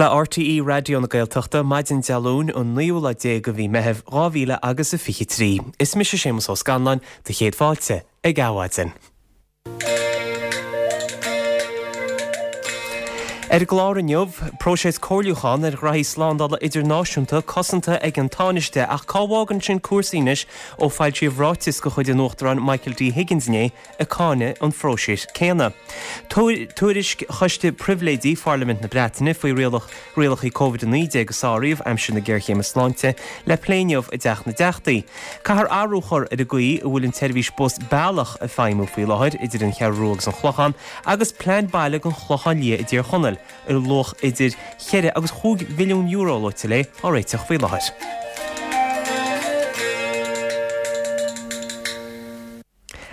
Le RTÉ Raidió na Gaeltachta, maidin Dé Luain, an naoú lá déag de mhí Meithimh, 2000 agus a 23. Is mise Séamus Ó Scanláin, do chéad fáilte ag Adhmhaidin. Ar an gclár inniu, próiseas comhairliúcháin ar ghraithí slándála idirnáisiúnta cosanta ag an Tánaiste ach cá bhfágann sin cúrsaí anois ó foilsíodh ráiteas de chuid an Uachtaráin Michael D Higgins inné ag cáineadh an phróisis céanna. Tuairisc Choiste Pribhléidí Pharlaimint na Breataine faoi rialacha Covid-19 a sáraíodh aimsir na géarchéime sláinte le plé inniu i dTeach na dTeachtaí. Caithfear athrú a chur ar an gcaoi a bhfuil an tseirbhís bus Bealach ag feidhmiú faoi láthair idir an Cheathrú Rua agus an Chlochán agus plean baile don Chlochán Liath i dTír Chonaill ar luach idir cheithre agus chúig mhilliún euro luaite léi á réiteach faoi láthair.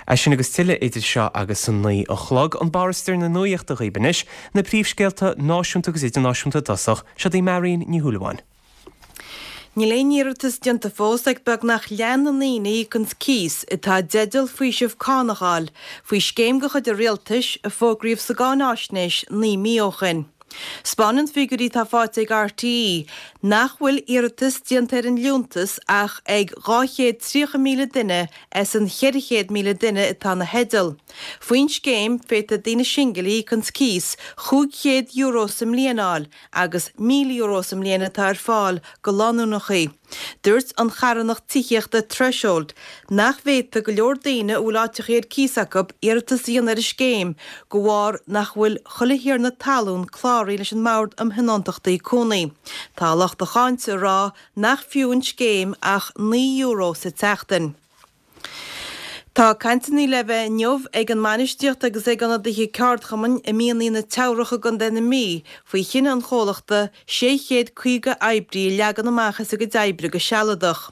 É sin agus tuilleadh idir seo agus a 9 a chlog. An barr is deireadh na nuaíochta dhaoibh anois, na príomhscéalta náisiúnta agus idirnáisiúnta i dtosach. Seo í Marion Ní Shúilleabháin. Níl aon iarratas déanta fós ag beagnach leath na ndaoine a íocanns cíos atá i dteideal faoiseamh cánach a fháil faoi scéim de chuid an Rialtais a fógraíodh sa gcáináisnéis 9 mí ó shin. 'Spáineann figiúirí atá faighte ag RTÉ nach bhfuil iarratas déanta ar an liúntas ach ag 230,000 duine as an 400,000 duine atá ina theideal. Faoin scéim, féadfaidh daoine singil a íocanns cíos €500 sa mbliain a fháil agus €1,000 sa mbliain atá ar fáil go lánúineachaí. Dúirt an charthanacht tithíochta Threshold nach bhféadfaidh go leor daoine a bhfuil áiteachaí ar cíos acu iarratas a dhéanamh ar an scéim de bharr nach bhfuil chuile thiarna talún cláraithe leis an mBord um Thionóntachtaí Cónaí. Tá lucht a cháinte ag rá nach fiú an scéim ach €9 sa tseachtain. Tá cainteanna le bheith inniu ag an mbainistíocht agus ag ionadaithe ceardchumainn i mianaigh na Teamhrach i gContae na Mí faoi chinneadh an chomhlachta 650 oibrí a leagan amach as a gcuid oibre go sealadach.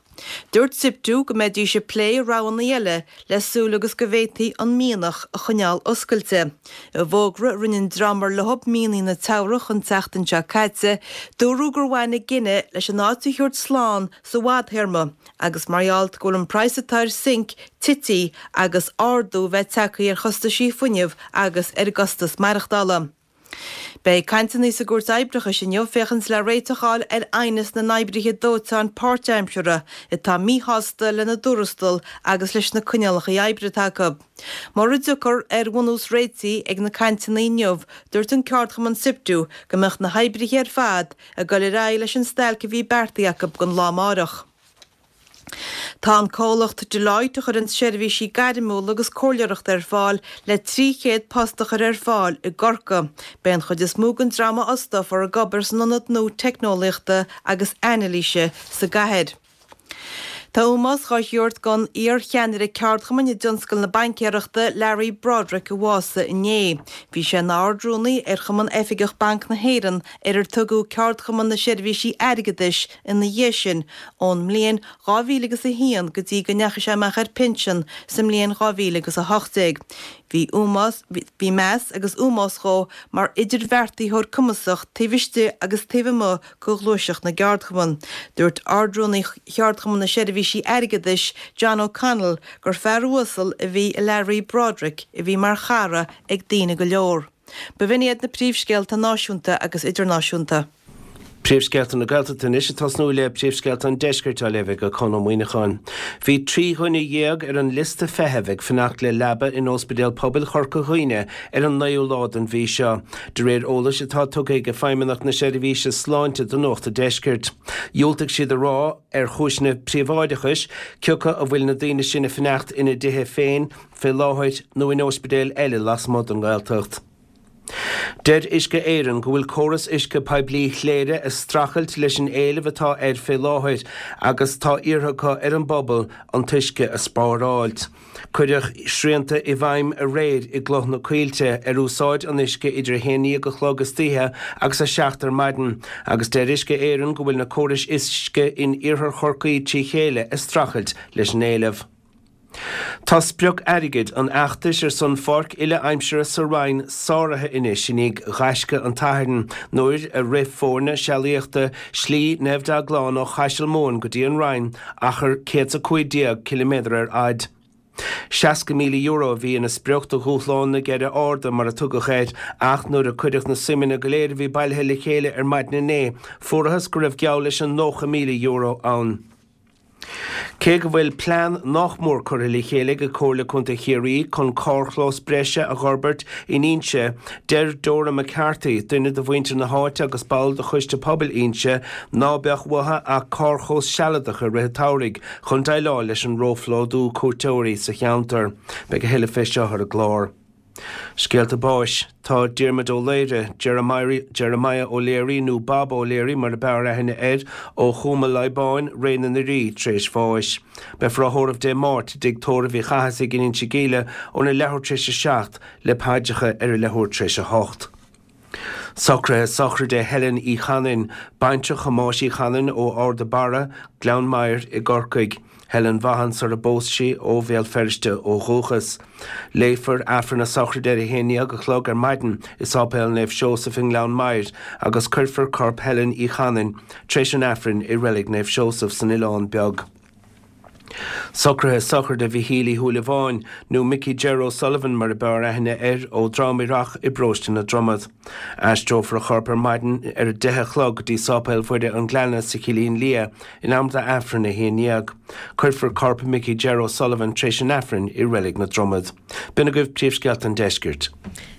Dúirt Siptu go mbeidís ag plé roghanna eile le súil agus go bhféadfaí an mianach a choinneáil oscailte. I bhfógra a rinne an dream ar leo mianaigh na Teamhrach an tseachtain seo caite, dúradh gur bhain an gcinneadh leis an áit a thabhairt slán sa bhfadthéarma agus mar gheall go bhfuil an praghas atá ar sinc tití agus ardú bheith tagtha ar chostaisí fuinnimh agus ar an gcostas maireachtála. Beidh cainteanna sa gCúirt Oibreachais inniu féachaint le réiteach a fháil ar aighneas na n-oibrithe dóiteáin páirtaimseartha atá míshásta lena dtuarastal agus leis na coinníollacha oibre atá acu. Mura dtiocfar ar bhunús réitigh ag na cainteanna inniu, dúirt an ceardchumann Siptu go mbeadh na hoibrithe ar fad ag dul ar aghaidh leis an stailc a bhí beartaithe acu don lá amárach. Tá an comhlacht Deloitte a chuireann seirbhísí gairmiúla agus comhairleoireachta ar fáil le 300 post a chur ar fáil i gCorcaigh. Beidh an chuid is mó den dream a fhostófar ag obair san ionad nua teicneolaíochta agus anailíse sa gcathair. Tá ómós dhá thabhairt don iar-cheannaire ceardchumainn i dtionscal na baincéireachta, Larry Broderick a bhásaigh inné. Bhí sé ina Ard-Rúnaí ar Chumann Oifigeach Banc na hÉireann, ar ar tugadh Ceardchumann na Seirbhísí Airgeadais ina dhiaidh sin, ón mbliain 2000 agus 1 go dtí go ndeachaigh sé amach ar pinsean sa mbliain 2000 agus 18. Bhí ómós, bhí meas agus ómós dhó mar idirbheartaitheoir cumasach taobh istigh agus taobh amuigh de ghluaiseacht na gceardchumann. Dúirt Ard-Rúnaí Cheardchumann na Seirbhísí Airgeadais, John O'Connell, gur fear uasal a bhí i Larry Broderick a bhí mar chara ag daoine go leor. B'in iad na príomhscéalta náisiúnta agus idirnáisiúnta. Príomhscéalta na Gaeltachta anois ag tosnú le príomhscéalta an Deiscirt á léamh ag Conn Ó Muíneacháin. Bhí 13 dhuine ar an liosta feithimh ag fanacht le leaba in Ospidéal Pobail Chorca Dhuibhne ar an naoú lá den mhí seo, de réir eolais atá tugtha ag Feidhmeannacht na Seirbhíse Sláinte do Nuacht an Deiscirt. Dhiúltaigh siad a rá, ar chúiseanna príobháideachais, cioca a bhfuil na daoine sin ag fanacht ina dtithe féin fé láthair nó in óispidéil eile lasmuigh den nGaeltacht. Deir Uisce Éireann go bhfuil córas uisce poiblí Chléire ag streachailt leis an éileamh atá air fé láthair agus tá iarrtha acu ar an bpobal an t-uisce a spáráilt. Cuireadh srianta i bhfeidhm aréir i gCloich na Coillte ar úsáid an uisce idir 11 a chlog istoíche agus 7 ar maidin agus deir Uisce Éireann go bhfuil na córais uisce in iarthar Chorcaí trí chéile ag streachailt leis an éileamh. Tá sprioc airgid an fheachtais ar son pháirc uile-aimsire sa Rinn sáraithe anois i ndiaidh ghaisce an tSathairn nuair a rith foirne sealaíochta Slí Naomh Deaglán ó Chaiseal Mumhan go dtí an Rinn, achar 115 ciliméadar ar fhaid. €60,000 a bhí ina sprioc do Dhúshlán na gCeithre Arda, mar a tugadh air, ach nuair a cuireadh na suimeanna go léir a bhí bailithe le chéile ar maidin inné, fuarathas go raibh geall leis an €90,000 ann. Cé go bhfuil plean nách mór curtha le chéile ag Comhairle Contae Chiarraí chun carrchlós breise a dh'fhorbairt in Inse, deir Dora McCarthy, duine de mhuintir na háite agus ball de Choiste Pobail Inse, ná beadh uathu ach carrchlós sealadach i rith an tsamhraidh chun déileáil leis an róphlódú cuairteoirí sa cheantar. Beidh a thuilleadh fé seo ar an gclár. Scéalta báis. Tá Diarmuid Ó Laoire, Jeremiah O'Leary nó Bob O'Leary mar a b'fhearr aithne air, ó Chúm a' Loibáin, Ré na nDoirí, tar éis bháis. Beifear á thórramh Dé Máirt i dTigh Tórraimh Uí Chathasaigh in Inse Gíle óna leathuair tar éis a 7 le paidreacha ar a leathuair tar éis a 8. Socruithe sochraide Helen Uí Chanainn, baintreach Thomáis Uí Chanainn ó Ard a' Barra, Gleann Maghair i gCorcaigh. Helen Vaughan sar a bpós sí, ó Bhéal Feirste ó dhúchas. Léifear Aifreann na sochraide ar a haon dhéag a chlog ar maidin i Sáipéal Naomh Seosamh i nGleann Maghair agus cuirfear corp Helen Uí Chanainn tar éis an Aifrinn i Reilig Naomh Seosamh san Oileán Beag. Socruithe sochraide Mhichíl Uí Shúilleabháin, nó Mickey Jer O'Sullivan mar a b'fhearr aithne air, ó Dhrom Ithreach i bparóiste na Dromad. Aistreofar a chorp ar maidin ar a deich a chlog go dtí Sáipéal Mhuire an Ghleanna sa Chillín Liath in am d'Aifreann a haon dhéag. Cuirfear corp Mickey Jer O'Sullivan tar éis an Aifrinn i Reilig na Dromad. B'in agaibh príomhscéalta an deiscirt.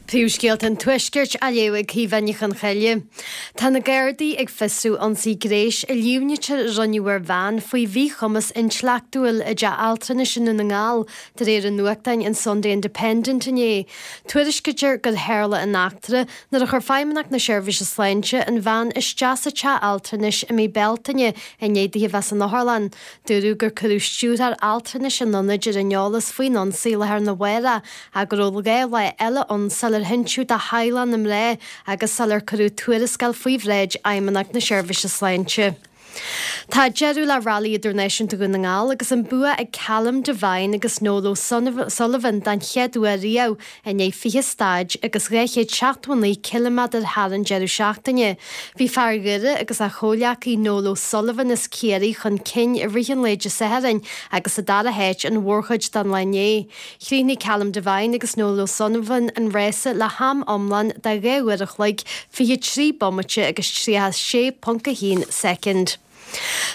Príomhscéalta an Tuaiscirt á léamh ag Caoimhe Ní Chonchoille. Tá na Gardaí ag fiosrú ionsaí gnéis a líomhnaítear a rinneadh ar bhean faoi mhíchumas intleachtúil i dteach altranais i nDún na nGall, de réir an nuachtáin an Sunday Independent inné. Tuairiscítear gur tharla an eachtra nuair a chuir Feidhmeannacht na Seirbhíse Sláinte an bhean isteach sa teach altranais i mí Bealtaine i ndiaidh di a bheith san otharlann. Dúradh gur cuireadh stiúrthóir altranais an ionaid ar an eolas faoin ionsaí lá arna mhárach ach go raibh 2 lá eile ann sular hinsíodh do theaghlach na mná agus sular cuireadh tuarascáil faoi bhráid Fheidhmeannacht na Seirbhíse Sláinte. Tá deireadh le Railí Idirnáisiúnta Dhún na nGall agus an bua ag Callum Devine agus Noel O'Sullivan den chéad uair riamh i ndiaidh 20 staid agus 279 ciliméadar thar an deireadh seachtaine. Bhí fear Dhoire agus a chomhghleacaí Noel O'Sullivan as Ciarraí chun cinn i rith an lae Dé Sathairn agus sa dara háit an mhórchuid den lá inné. Chríochnaigh Callum Devine agus Noel O'Sullivan an rása le ham iomlán de 2 uair a chloig, 23 bomaite agus 36.1 soicind.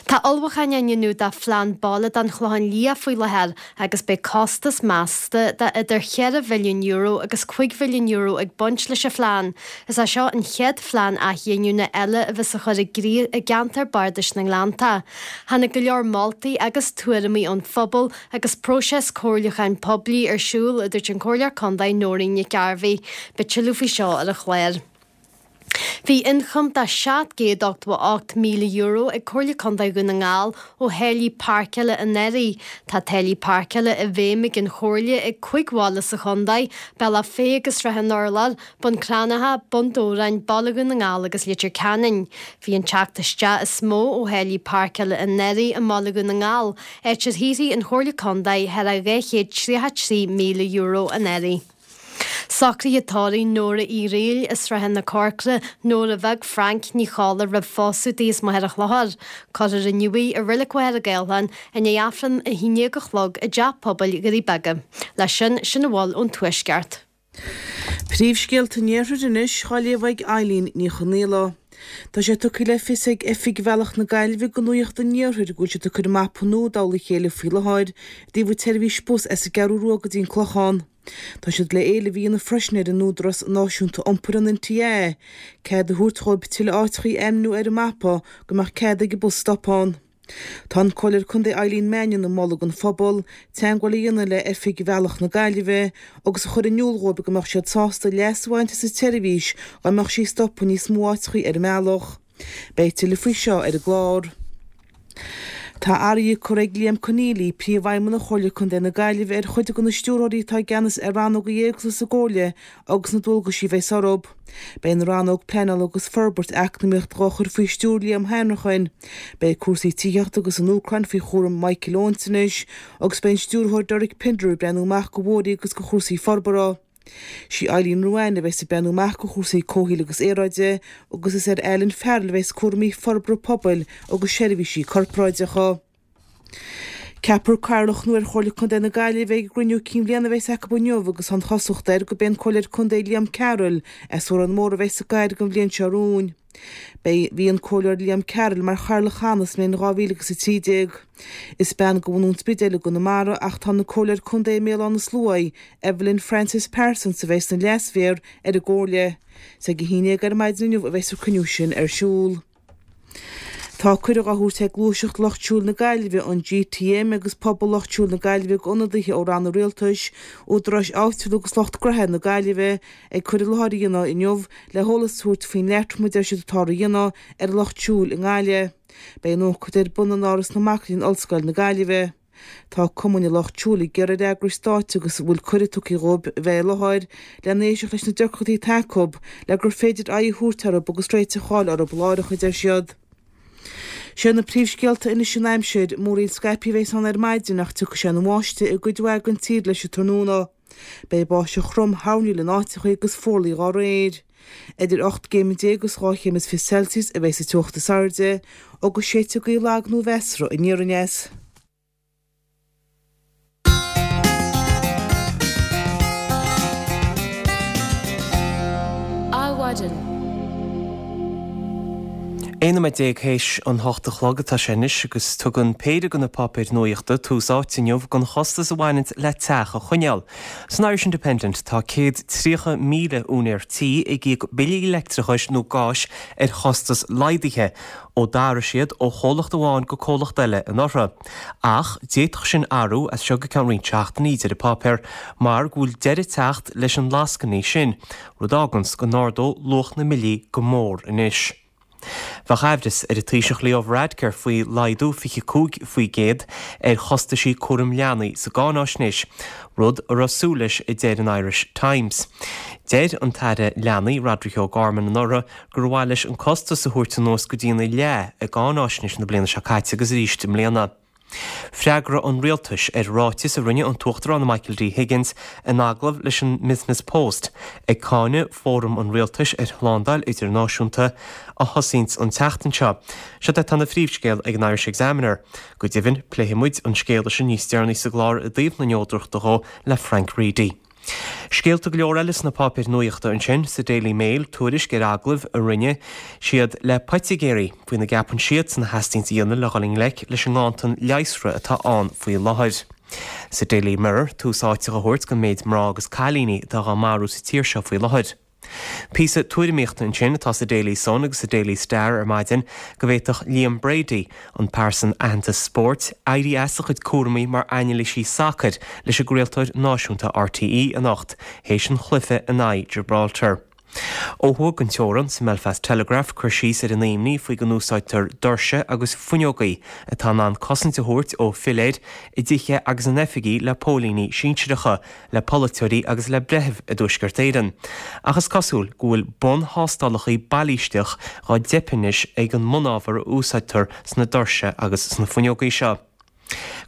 Tá ullmhúcháin á ndéanamh do phlean baile don Chlochán Liath faoi láthair agus beidh costas measta de idir €4 mhilliún agus €5 mhilliún ag baint leis an phlean. Is é seo an chéad phlean athghiniúna eile a bheas á chur i gcrích i gceantar bardais na nGleannta. Tháinig go leor moltaí agus tuairimí ón phobal agus próiseas comhairliúcháin poiblí ar siúl, a dúirt an Comhairleoir Contae Nóirín Nic Gairbheith. Beidh tuilleadh faoi seo ar an chlár. Bhí ioncam de €788,000 ag Comhairle Contae Dhún na nGall ó tháillí páirceála anuraidh. Tá táillí páirceála i bhfeidhm ag an Chomhairle ag 5 bhaile sa chontae, Bealach Féich agus Srath an Urláir, Bun Cranncha, Bun Dobhráin, Baile Dhún na nGall agus Leitir Ceanainn. Bhí an teacht isteach is mó ó tháillí páirceála anuraidh i mBaile Dhún na nGall, áit ar shaothraigh an Chomhairle Contae thar a €233,000 anuraidh. Socruithe tórraimh Nóra Uí Fhrighil as Srath na Corcra, Nóra Bheag Frainc Ní Cholla roimh phósadh di as Machaire Chlochair. Cuirfear inniu í i Reilig Mhachaire Gathlán i ndiaidh Aifreann 11 a chlog i dTeach Pobail Dhoirí Beaga. Leis sin, sin a bhfuil ón Tuaisceart. Príomhscéalta an Iarthair anois á léamh ag Eileen Ní Chonghaile. Tá sé tugtha le fios ag Oifig Bhealach na Gaillimhe do Nuacht an Iarthair go bhfuil siad ag cur an mapa nua i dtoll a chéile faoi láthair i dtaobh an tseirbhís bus as an gCeathrú Rua go dtí an Clochán. Tá siad le éileamh a dhéanamh freisin ar an Údarás Náisiúnta Iompair, an NTA, cead a thabhairt dhóibh tuilleadh áiteachaí a ainmniú ar an mapa go mbeadh cead ag an bus stop ann. Tá an Comhairleoir Contae Eileen Mannion ag moladh don phobal teagmháil a dhéanamh le Oifig Bhealach na Gaillimhe agus a chur in iúl dhóibh go mbeadh siad sásta leas a bhaint as an tseirbhís dá mbeadh sí ag stopadh níos mó áiteachaí ar an mbealach. Beidh tuilleadh faoi seo ar an gclár. Tá athruithe curtha ag Liam Conneally, Príomhfheidhmeannach Chomhairle Contae na Gaillimhe, ar chuid de na stiúrthóirí atá i gceannas ar rannóga éagsúla sa gComhairle agus na dualgaisí a bheas orthu. Beidh an rannóg Pleanála agus Forbairt Eacnamaíochta dhá chur faoi stiúir Liam Hanrachain. Beidh cúrsaí tithíochta agus an Úcráin faoi chúram Michael Owens anois agus beidh an stiúrthóir Derek Pinder ag breathnú amach go bhóithrí agus go chúrsaí forbartha. Sí Eileen Ruane a bheas ag breathnú amach go chúrsaí comhshaoil agus aeráide agus is ar Alan Farrell a bheas cúraimí forbartha pobail agus seirbhísí corparáideacha. Ceapfar Cathaoirleach nua ar Chomhairle Contae na Gaillimhe ag an gcruinniú cinn bhliana a bheas acu inniu agus tá an chosúlacht air gurb é an Comhairleoir Contae Liam Carroll as Órán Mór a bheas sa gcathaoir don bhliain seo romhainn. Beidh Bhí an Comhairleoir Liam Carroll mar chathaoirleach cheana sa mbliain 2013. Is bean de bhunú an Spidéil i gConamara ach tá an Comhairleoir Contae i mBéal Átha na Sluaighe, Evelyn Frances Parsons a bheas ina leas-mhéara ar an gComhairle. Is ag a haon dhéag ar maidin inniu a bheas an cruinniú sin ar siúl. Tá cuireadh á thabhairt ag Gluaiseacht Lucht Siúil na Gaillimhe, an GTM, agus Pobal Lucht Siúil na Gaillimhe d'ionadaithe ó ranna rialtais, údaráis áitiúla agus lucht gnoithe na Gaillimhe ag cur i láthair a dhéanamh inniu le heolas a thabhairt faoin leatrom a deir siad atáthar a dhéanamh ar an lucht siúil i nGaillimh. Beidh an ócáid ar bun in Áras na Mac Léinn Ollscoil na Gaillimhe. Tá Cumainn an Lucht Siúil ag iarraidh ar eagrais stáit agus a bhfuil cuireadh tugtha dhóibh a bheith i láthair lena éisteacht leis na deacrachtaí atá acu le gur féidir aghaidh a thabhairt orthu agus réiteach a fháil orthu láithreach, a deir siad. Sé na príomhscéalta anois an aimsir, múraíl scaipthe a bheas ann ar maidin ach tiocfaidh sé ina bháisteach i gcuid mhaith den tír leis an tráthnóna. Beidh báisteach throm thoirniúil in áiteacha agus fuarlaigh dá réir. Idir 18 gcéim agus 2 chéim is 20 Celsius a bheidh sa teocht is airde, agus séidfidh gaoth lag nó mheasartha aniar aneas. Adhmhaidin. 11 nóiméad théis an hocht a chlog atá sé anois agus tugann péire de na páipéir nuaíochta tús áite inniu don chostas a bhaineanns le teach a choinneáil. San Irish Independent tá 130,000 úinéir tí ag íoc billí leictreachais nó gáis ar chostas laghdaithe ó d'athraigh siad ó chomhlacht amháin go comhlacht eile anuraidh. Ach d'fhéadfadh sin athrú as seo go ceann roinnt seachtainí, deir an páipéar, mar go bhfuil deireadh ag teacht leis an lascainí sin, rud a fháganns go n-ardódh luach na mbillí go mór anois. Bheadh aimhreas ar an Taoiseach Leo Varadkar faoi laghdú 25% ar chostaisí cúram leanaí sa gcáináisnéis, rud a raibh súil leis a deir an Irish Times. Deir an tAire Leanaí Roderic O'Gorman anuraidh gur mhaith leis an costas a thabhairt anuas go dtína leath i gcáináisnéis na bliana seo caite agus arís i mbliana. Freagra an Rialtais ar ráiteas a rinne an tUachtarán Michael D. Higgins in agallamh leis an mBusiness Post ag cáineadh Fóram an Rialtais ar Shlándáil Idirnáisiúnta a thosaíonns an tseachtain seo. Siod atá ina phríomhscéal ag an Irish Examiner. Go deimhin, pléifidh muid an scéal sin níos deireanaí sa gclár i dtaobh na neodrachta dhó le Frank Reidy. Scéalta go leor eile sna páipéir nuachta ansin, sa Daily Mail, tuairisc ar agallaimh a rinne siad le poitigéirí faoina gceapann siadsan a theastaíonns a dhéanamh le dhul i ngleic leis an nganntan leigheasra atá ann faoi láthair. Sa Daily Mirror, tús áite á thabhairt don méid mná agus cailíní atá dhá marú sa tír seo faoi láthair. Píosa tuairimíochta ansin atá sa Daily Sun agus sa Daily Star ar maidin go bhféadfadh Liam Brady, an pearsan aitheanta spóirt, éirí as a chuid cúramaí mar anailísí sacair leis an gcraoltóir náisiúnta RTÉ anocht théis an chluiche in aghaidh Gibraltar. Ó thuaidh den teorann, sa mBelfast Telegraph, cur síos ar an imní faoi go n-úsáidtear doirse agus fuinneogaí atá in ann cosaint a thabhairt ó philéir i dtithe agus in oifigí le póilíní sinsearacha le polaiteoirí agus le breithimh i dTuaisceart Éireann. Ach is cosúil go bhfuil bun-thástálacha bailísteach dhá dteip anois ag an mbunábhar a úsáidtear sna doirse agus sna fuinneogaí seo.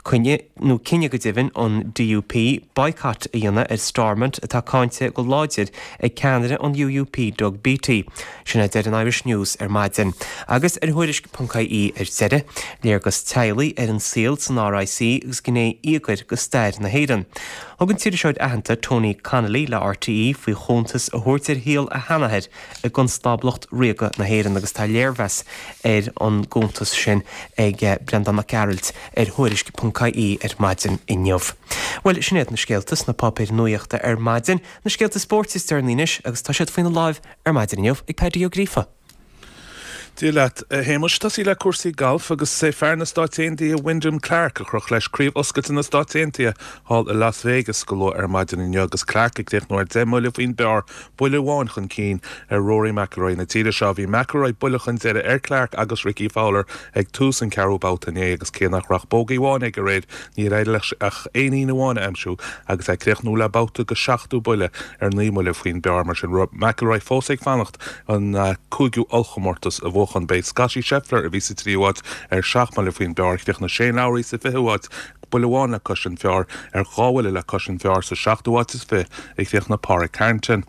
Coinne, nó cinneadh go deimhin, an DUP boycott a dhéanamh ar Stormont atá cáinte go láidir ag ceannaire an UUP Doug Beattie. Sin é a deir an Irish News ar maidin. Agus ar Thuairisc ponc ie ar deireadh, léargas teaghlaigh ar an saol san RIC agus gné íogair de stair na hÉireann. Thug an t-iriseoir aitheanta Tony Connelly le RTÉ faoi chuntas a thabhairt ar shaol a sheanathair i gConstáblacht Ríoga na hÉireann agus tá léirmheas ar an gcuntas sin ag Breandán Mac Gearailt ar Thuairisc ponc ie ar maidin inniu. Bhuel, sin iad na scéalta sna páipéir nuachta ar maidin. Na scéalta spóirt is deireanaí anois agus tá siad faoina láimh ar maidin inniu ag Paddy Ó Gríofa. Dia leat, a Shéamuis. Tosaí le cúrsaí gailf agus is é fear na Stáit Aontaithe Wyndham Clark a chroch leis Craobh Oscailte na Stáit Aontaithe thall i Las Vegas go luath ar maidin inniu agus Clark ag críochnú ar 10 mbuille faoin bpar, buille amháin chun cinn ar Rory McIlroy na tíre seo. Bhí McIlroy buille chun deiridh ar Clark agus Rickie Fowler ag tús an ceathrú babhta inné agus cé nach raibh ach bógaí amháin aige aréir níor éirigh leis ach éinín amháin a aimsiú agus é ag críochnú le babhta go seachtú buille ar 9 mbuille faoin bpar. Mar sin, McIlroy fós ag fanacht an cúigiú ollchomórtas a bhuachan. B'é Scottie Scheffler a bhí sa tríú háit ar 7 mbuille faoin bpar. Chríochnaigh Shane Lowry sa fichiú háit, buille amháin le cois an phar, ar dhá bhuille le cois an phar sa seachtú háit is fi a chríochnaigh Pádraig Harrington.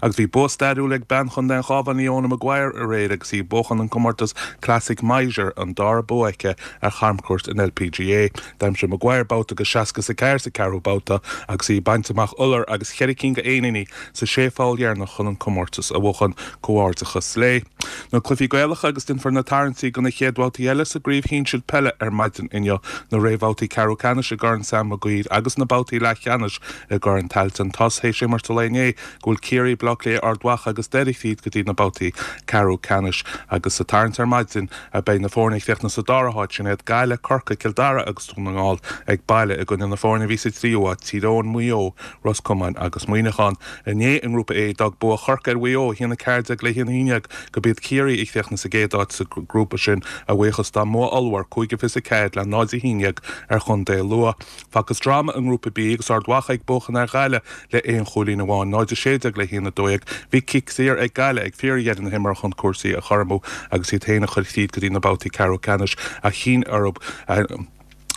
Agus bhí bua stairiúil ag bean Chontae an Chabháin Leona Maguire aréir agus í ag buachan an comórtas Classic Major, an dara bua aici ar chamchuairt an LPGA. D'aimsigh Maguire babhta de 64 sa ceathrú babhta agus í ag baint amach iolar agus cheithre cinn de éiníní sa sé pholl dheireanach chun an comórtas a bhuachan. Comhghairdeachas léi. Na cluichí Gaelacha agus déanfar na tarraingtí do na chéad bhabhtaí eile sa gcraobh shinsir peile ar maidin inniu, na réamhbhabhtaí ceathrú ceannais i gCorn Sam Maguire agus na babhtaí leathcheannais i gCorn Tailteann. Tá's théis imirt an lae inné go bhfuil Ciarraí, Baile Átha Cliath, Ard Mhacha agus Doire tríd go dtí na babhtaí ceathrú ceannais agus sa tarraingt ar maidin beidh na foirne a chríochnaigh sa dara háit, sin iad Gaillimh, Corcaigh, Cill Dara agus Dún na nGall ag baile i gcoinne na foirne a bhí sa tríú háit, Tír Eoghain, Maigh Eo, Ros Comáin agus Muineachán. Inné i nGrúpa A, d'fhág bua Chorcaí ar Mhaigh Eo, 1-14 le 1-11, gurb iad Ciarraí a chríochnaigh sa gcéad áit sa ghrúpa sin, a bhuíochas dá mbua ollmhór, 5-24 le 0-11 ar chontae Lú. Facthas dráma i nGrúpa B agus Ard Mhacha ag buachan ar Ghaillimh le aon chúilín amháin, 0-16 le 1-12. Bhí cic saor ag Gaillimh ag fíordheireadh na himeartha chun cúrsaí a chothromú agus iad féin a chur tríd go dtí na babhtaí ceathrú ceannais ach chinn orthu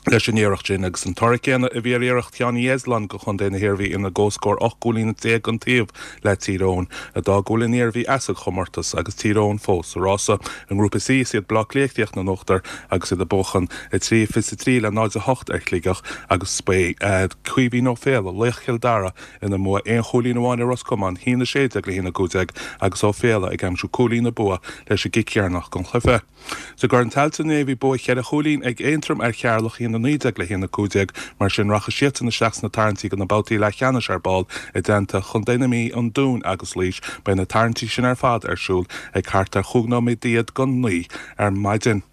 leis an iarracht sin agus an toradh céanna a bhí ar iarracht Sheánie Easland do chontae na hIarmhí ina gcomhscór 18 gcúilín an taobh le Tír Eoghain, a d'fhág go bhfuil an Iarmhí as an chomórtas agus Tír Eoghain fós sa rása. I nGrúpa C, is iad Baile Átha Cliath a chríochnaigh in uachtar agus iad ag buachan 3-23 le 0-8 ar Shligeach agus ba é Caoimhín Ó Fiaich, laoch Chill Dara, ina mbua aon chúilín amháin ar Ros Comáin, 1-16 le 1-15 agus Ó Fiaich ag aimsiú cúilín an bua leis an gcic dheireanach den chluiche. Sa gCorn Tailteann inné bhí bua cheithre chúilín ag Aontroim ar Cheatharlach, 1-19 le 1-15. Mar sin rachaidh siadsan isteach sna tarraingtí do na babhtaí leathcheannais ar ball i dteannta Chontae na Mí, an Dúin agus Laois. Beidh na tarraingtí sin ar fad ar siúl ag thart ar chúig nóiméad don naoi ar maidin.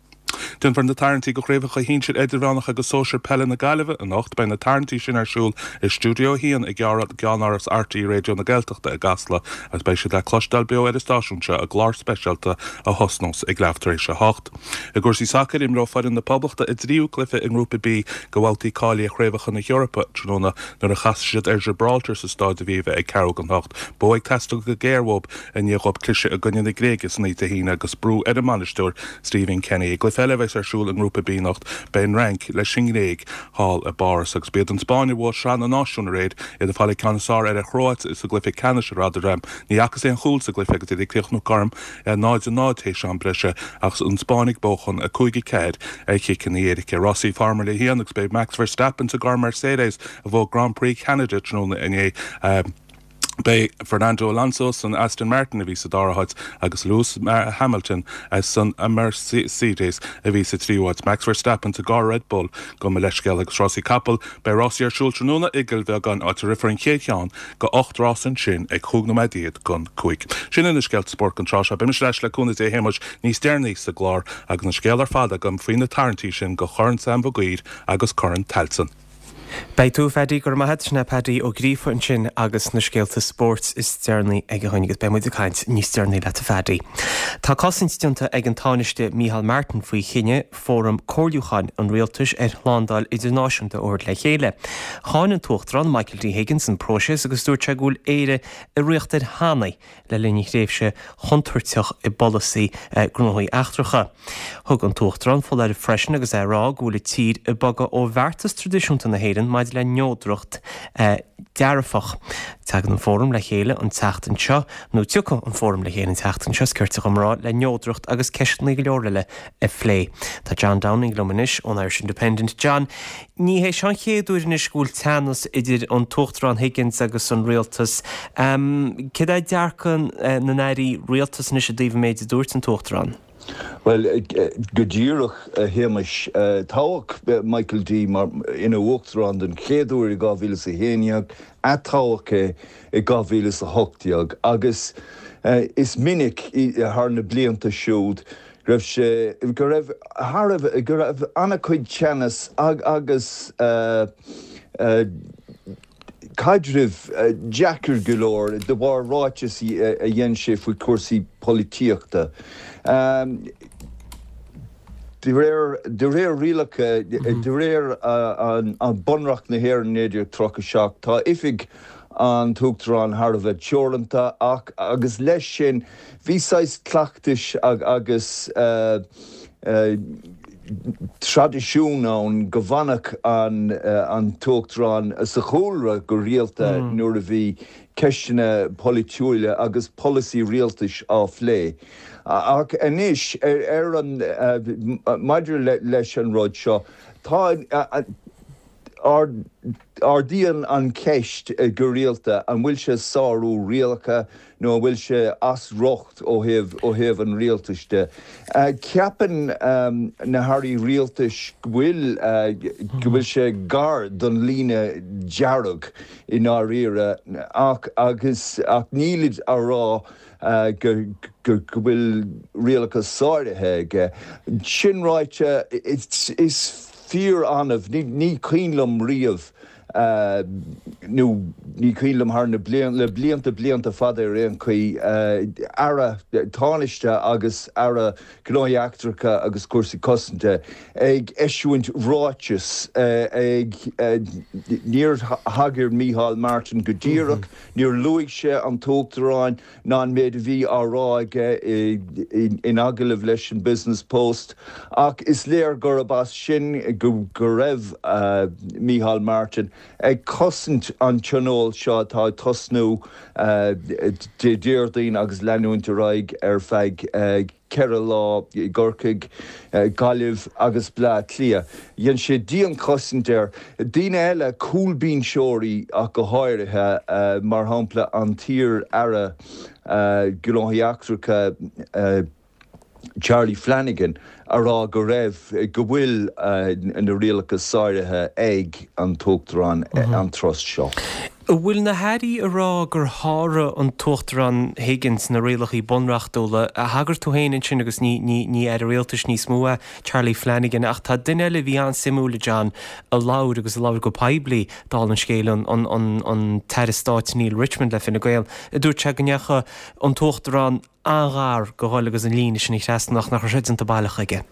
Déanfar na tarraingtí do chraobhacha shinsir, idirmheánach agus sóisir peile na Gaillimhe anocht. Beidh na tarraingtí sin ar siúl i Stiúideo 1 i gceannáras RTÉ Raidió na Gaeltachta i gCasla agus beidh siad le cloisteáil beo ar an stáisiún seo i gclár speisialta a thosnós ag leath tar éis a hocht. I gcúrsaí sacair, imreoidh foireann na Poblachta a dtríú cluiche i nGrúpa B de bhabhtaí cáilithe Chraobhacha na hEorpa tráthnóna nuair a chasfaidh siad ar Gibraltar sa Stáid Aviva ag ceathrú don hocht. Bua ag teastáil go géar uathu i ndiaidh dhóibh cliseadh i gcoinne na Gréige san oíche Dé hAoine agus brú ar an mbainisteoir Stephen Kenny. I gcluiche eile a bheas ar siúl i nGrúpa B anocht beidh an Fhrainc leis an nGréig thall i bPáras agus b'iad an Spáinn a bhuaigh Sraith na Náisiún aréir, iad ag fáil an ceann is fearr ar an Chróit sa gcluiche ceannais i Rotterdam. Ní fhacthas aon chúl sa gcluiche agus iad ag críochnú cothrom 0-0 théis am breise ach an Spáinn ag buachan 5-4 ar chiceanna éirice. Rásaí Formula 1 agus beidh Max Verstappen sa gcarr Mercedes a bhuaigh Grand Prix Cheanada tráthnóna inné. Beidh Fernando Alonso san Aston Martin a bhí sa dara háit agus Lewis Hamilton san Mercedes a bhí sa tríú háit. Max Verstappen sa gcarr Red Bull gabh mo leithscéal agus rásaí capall. Beidh rásaí ar siúl tráthnóna i gCill Bheagáin áit a rithfear an chéad cheann de 8 rás ansin ag chúig nóiméad déag don chúig. Sin iad na scéalta spóirt don tráth seo. Beidh mise ar ais le cúnamh Dé a Shéamais níos deireanaí sa gclár agus an scéal ar fad agam faoi na tarraingtí sin do Chorn Sam Mhig Uidhir agus Corn Tailteann. Beidh tú, a Phaddy, go raibh maith agat. Sin é Paddy Ó Gríofa ansin agus na scéalta spóirt is deireanaí aige againn agus beidh muid ag caint níos deireanaí leat a Phaddy. Tá cosaint déanta ag an Tánaiste Micheál Martin faoi chinneadh Fóram Comhairliúcháin an Rialtais ar Shlándáil Idirnáisiúnta a thabhairt le chéile. Cháin an tUachtarán Michael D Higgins an próiseas agus dúirt sé go bhfuil Éire i riocht ar thanaí le linn thréimhse chontúirteach i bpolasaí gnóthaí eachtracha. Thug an tUachtarán foláireamh freisin agus é ag rá go bhfuil an tír ag bogadh ó bheartas traidisiúnta na hÉireann maidir le neodracht dearfach. Tagann an Fóram le chéile an tseachtain seo, nó tiocfaidh an Fóram le chéile an tseachtain seo, is cirte dhom a rá, le neodracht agus ceisteanna go leor eile a phlé. Tá John Downing liom anois ón Irish Independent. John, ní hé seo an chéad uair anois go bhfuil teannas idir an tUachtarán Higgins agus an rialtas. Céard é dearcadh na n-airí rialtais anois i dtaobh an méid a dúirt an tUachtarán? Bhuel, go díreach, a Shéamais, toghadh Michael D mar ina Uachtarán den chéad uair i 2011, atoghadh é i 2018 agus is minic thar na blianta siúd go raibh sé, go raibh thar a bheith, go raibh an-chuid teannas agus caidrimh deacair go leor de bharr ráiteas a dhein sé faoi chúrsaí polaitíochta. De réir, de réir rialacha, de réir an Bunreacht na hÉireann 1937, tá oifig an tUachtaráin thar a bheith teoranta ach agus leis sin bhí saghas cleachtais agus traidisiún ann go bhfanfadh an tUachtarán sa chúlra go rialta nuair a bhí. ceisteanna polaitiúila agus polasaí rialtais á phlé. Ach anois, ar an, maidir leis an rud seo, tá, ardaíonn an cheist go rialta an bhfuil sé sárú rialacha nó an bhfuil sé as riocht ó thaobh ó thaobh an rialtais de. Ceapann na hairí rialtais go bhfuil go bhfuil sé gar don líne dearg i ndáiríre ach agus ach nílid á rá go go bhfuil rialacha sáraithe aige. Sin ráite is fíor-annamh, ní cuimhin liom riamh, nó ní cuimhin liom thar na le blianta, blianta fada ar aon chaoi, Aire Tánaiste agus Aire Gnóthaí Eachtracha agus Cúrsaí Cosanta ag eisiúint ráiteas ag, níor thagair Micheál Martin go díreach, níor luaigh sé an tUachtarán, ná an méid a bhí á rá aige in agallamh leis an Business Post, ach is léir gurb as sin go raibh Micheál Martin ag cosaint an tionóil seo atá ag tosnú Dé Déardaoin agus leanúint ar aghaidh ar feadh 4 lá i gCorcaigh, Gaillimh agus Bleá Cliath. Dhein sé dianchosaint air. Daoine eile, cúlbhinseoirí ach go háirithe, mar shampla an t-iar-aire Gnóthaí Eachtracha Charlie Flanagan, a rá go raibh, go bhfuil na rialacha sáraithe ag an tUachtarán an turas seo. An bhfuil na hairí ag rá gur sháraigh an tUachtarán Higgins na rialacha bunreachtúla? Thagair tú féin ansin agus ní, ní, ní Aire Rialtais níos mó é Charlie Flanagan ach tá duine eile a bhí an-suimiúil, a John, a labhair agus a labhair go poiblí, dála an scéil, an, an, an, an tAire Stáit Neale Richmond le Fine Gael, a dúirt sé go ndeachaigh an tUachtarán an-ghar do dhul agus an líne sin a thrasnú ach nach raibh sé déanta baileach aige.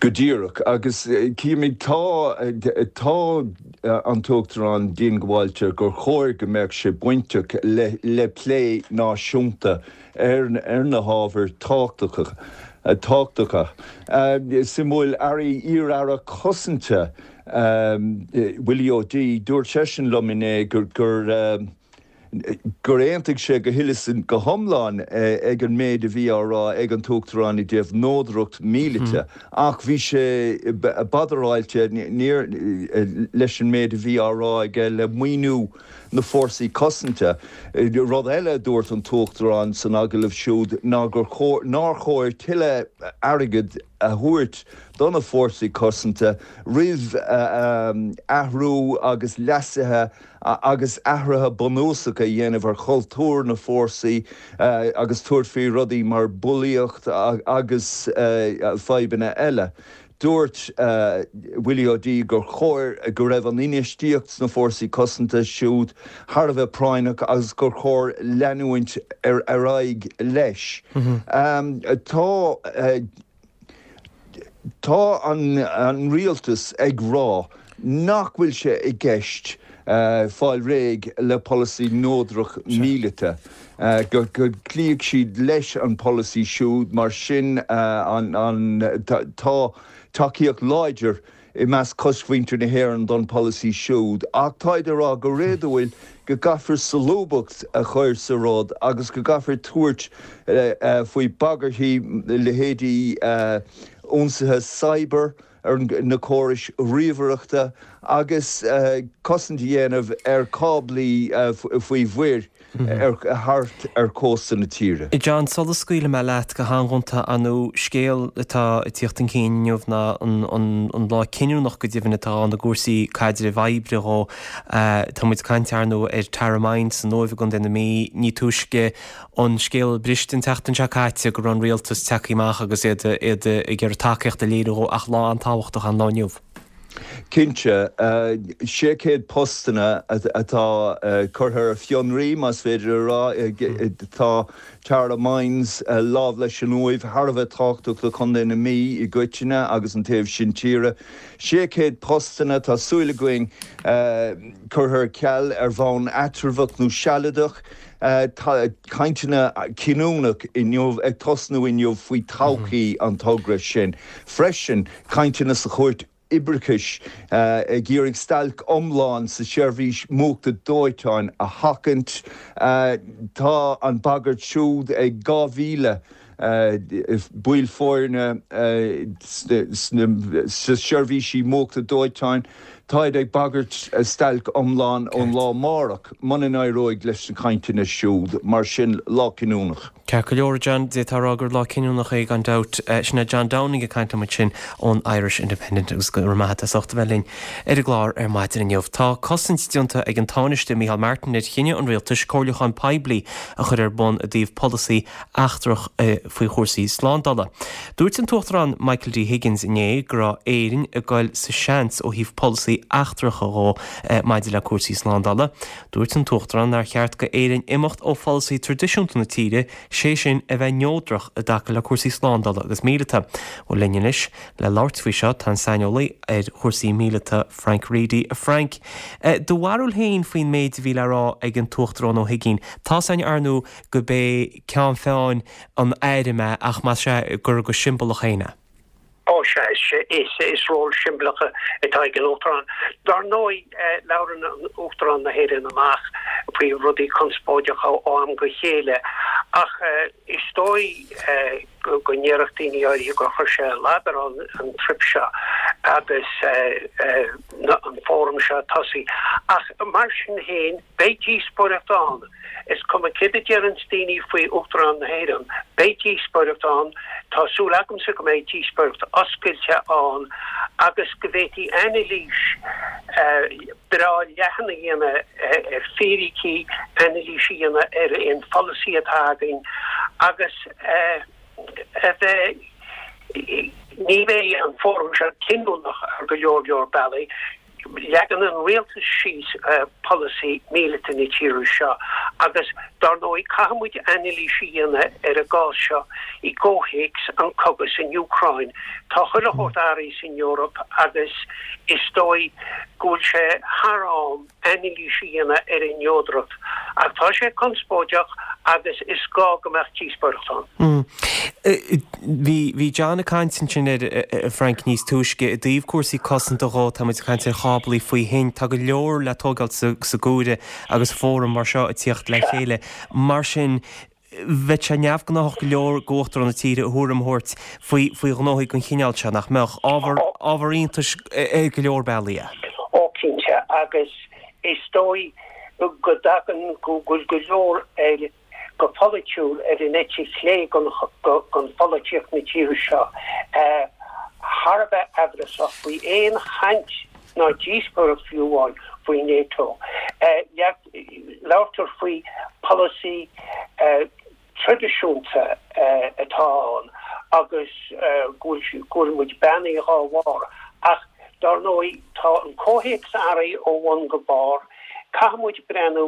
Go díreach. Agus címid, tá, tá an tUachtarán diongbháilte gur chóir go mbeadh sé bainteach le, le plé náisiúnta ar, ar na hábhair tábhachtacha, tábhachtacha. Suimiúil, Airí, iar-aire cosanta, Willie O'Dea, dúirt seisean liom inné gur, gur, gur aontaigh sé go huile is go hiomlán ag an méid a bhí á rá ag an tUachtarán i dtaobh neodracht míleata ach bhí sé badaráilte níor leis an méid a bhí á rá aige le maoiniú na fórsaí cosanta. Rud eile a dúirt an tUachtarán san agallamh siúd ná gur chóir nár chóir tuilleadh airgid a thabhairt do na fórsaí cosanta roimh athrú agus leasuithe agus athruithe bunúsacha a dhéanamh ar chultúr na fórsaí agus tabhairt faoi rudaí mar bulaíocht agus fadhbanna eile. Dúirt Willie O'Dea gur chóir go raibh an infheistíocht sna fórsaí cosanta siúd thar a bheith práinneach agus gur chóir leanúint ar aghaidh leis. Tá. Tá an rialtas ag rá nach bhfuil sé i gceist fáil réidh le polasaí neodrach míleata, go gcloífidh siad leis an bpolasaí siúd, mar sin tá tacaíocht láidir i measc cosmhuintir na hÉireann don pholasaí siúd, ach táid ag rá go réadúil go gcaithfear solúbthacht a chur sa rud agus go gcaithfear tabhairt faoi bhagairtí leithéidí ionsaithe cyber ar na córais ríomhaireachta agus cosaint a dhéanamh ar cáblaí faoi mhuir. ar thart ar chósta na tíre. John, sula scaoilfidh mé leat go han-ghonta, ar ndóigh, scéal atá ag tíocht chun cinn inniu ná an lá cinniúnach go deimhin atá ann i gcúrsaí caidrimh oibre dhó. Tá muid ag caint, ar ndóigh, ar Tara Mines san Uaimh i gContae na Mí. Ní túisce an scéal briste an tseachtain seo caite go raibh an rialtas tagtha amach agus iad ag iarraidh tacaíocht a léiriú dhó ach lá an-tábhachtach an lá inniu. Cinnte. 600 postanna atá curtha ar fionraí, más féidir a rá. Tá Tara Mines lámh leis an Uaimh thar a bheith tábhachtach do Chontae na Mí i gcoitinne agus an taobh sin tíre. 600 postanna, tá súil againn, curtha ar ceal ar bhonn eatramhach nó sealadach. Tá cainteanna cinniúnach inniu ag tosnú inniu faoi todhchaí an togra sin freisin, cainteanna sa chúirt. Oibreachais ag iarraidh stailc iomlán sa tseirbhís múchta dóiteáin a sheachaint. Tá an bhagairt siúd ag 2,000 baill foirne sna seirbhísí múchta dóiteáin. Táid ag bagairt stailc iomlán ón lá amárach muna n-éireoidh leis na cainteanna siúd. Mar sin, lá cinniúnach. Ceart go leor, a John, d'fhéadfá a rá gur lá cinniúnach é gan dabht. Sin é John Downing ag caint liom ansin ón Irish Independent agus go raibh maith agat as ucht a bheith linn ar an gclár ar maidin inniu. Tá cosaint déanta ag an Tánaiste Micheál Martin ar chinneadh an Rialtais comhairliúchán poiblí a chur ar bun i dtaobh polasaí eachtrach faoi chúrsaí slándála. Dúirt an tUachtarán Michael D Higgins inné go raibh Éirinn ag goil sa seans ó thaobh polasaí eachtrach dhó maidir le cúrsaí slándála. Dúirt an tUachtarán nár cheart go Éirinn imeacht ó pholasaí traidisiúnta na tíre, sé sin a bheith neodrach i dtaca le cúrsaí slándála agus míleata. Bhuel linn anois le labhairt faoi seo tá an saineolaí ar chúrsaí míleata Frank Reidy. A Frank, do bharúil féin faoin méid a bhí le rá ag an tUachtarán Ó hUigínn. Tá's againn ar ndóigh go b'é ceann feadhain an airm é ach más ea gur go siombalach féin é. Ó sea, is ról siombalach atá ag an Uachtarán. Dar ndóigh, labhrann Uachtarán na hÉireann amach faoi rudaí conspóideacha ó am go chéile ach is dóigh go ndéarfadh daoine áirithe gur chuir sé lag ar an trip seo agus an fóram seo ag tosaí. Ach mar sin féin, beidh díospóireacht ann. Is cuma céard a deireanns daoine faoi Uachtarán na hÉireann, beidh díospóireacht ann, tá súil agamsa go mbeidh díospóireacht oscailte ann agus go bhféadfaí anailís breá leathan a dhéanamh ar fíricí, anailís a dhéanamh ar aon pholasaí atá againn agus a bheith, ní bheidh an fóram seo cinniúnach ar go leor leor bealaí. Leagann an rialtas síos polasaí míleata na tíre seo agus dar ndóigh caithfidh muid anailís a dhéanamh ar an gcás seo i gcomhthéacs an cogadh san Úcráin. Tá chuile shórt athraithe san Eoraip agus is dóigh go bhfuil sé thar am anailís a dhéanamh ar an neodracht. Ach tá sé conspóideach agus is gá go mbeadh díospóireacht ann. Bhí, bhí John ag caint ansin ar, a Frank, níos túisce i dtaobh cúrsaí cosanta dhó, tá muid ag caint ar cháblaí faoi thoinn, tá go leor le tógáil sa, sa gcúire agus fóram mar seo ag tíocht le chéile. Mar sin, bheadh sé neamhghnáthach go leor d'Uachtarán na tíre a thuairim a thabhairt faoi, faoi ghnóthaí den chineál seo, nach mbeadh? Ábhar, ábhar iontais ar go leor bealaí é. Ó, cinnte, agus is dóigh go dtagann, go bhfuil go leor ar, go polaitiúil ar an eite chlé den pholaitíocht na tíre seo thar a bheith aimhreasach faoi aon chaint ná díospóireacht fiú amháin faoi NATO. Labhartar faoi pholasaí traidisiúnta atá ann agus go bhfuil muid beannaithe dhá bharr ach dar ndóigh tá an comhthéacs athraithe ó bhun go barr. Caithfidh muid breathnú,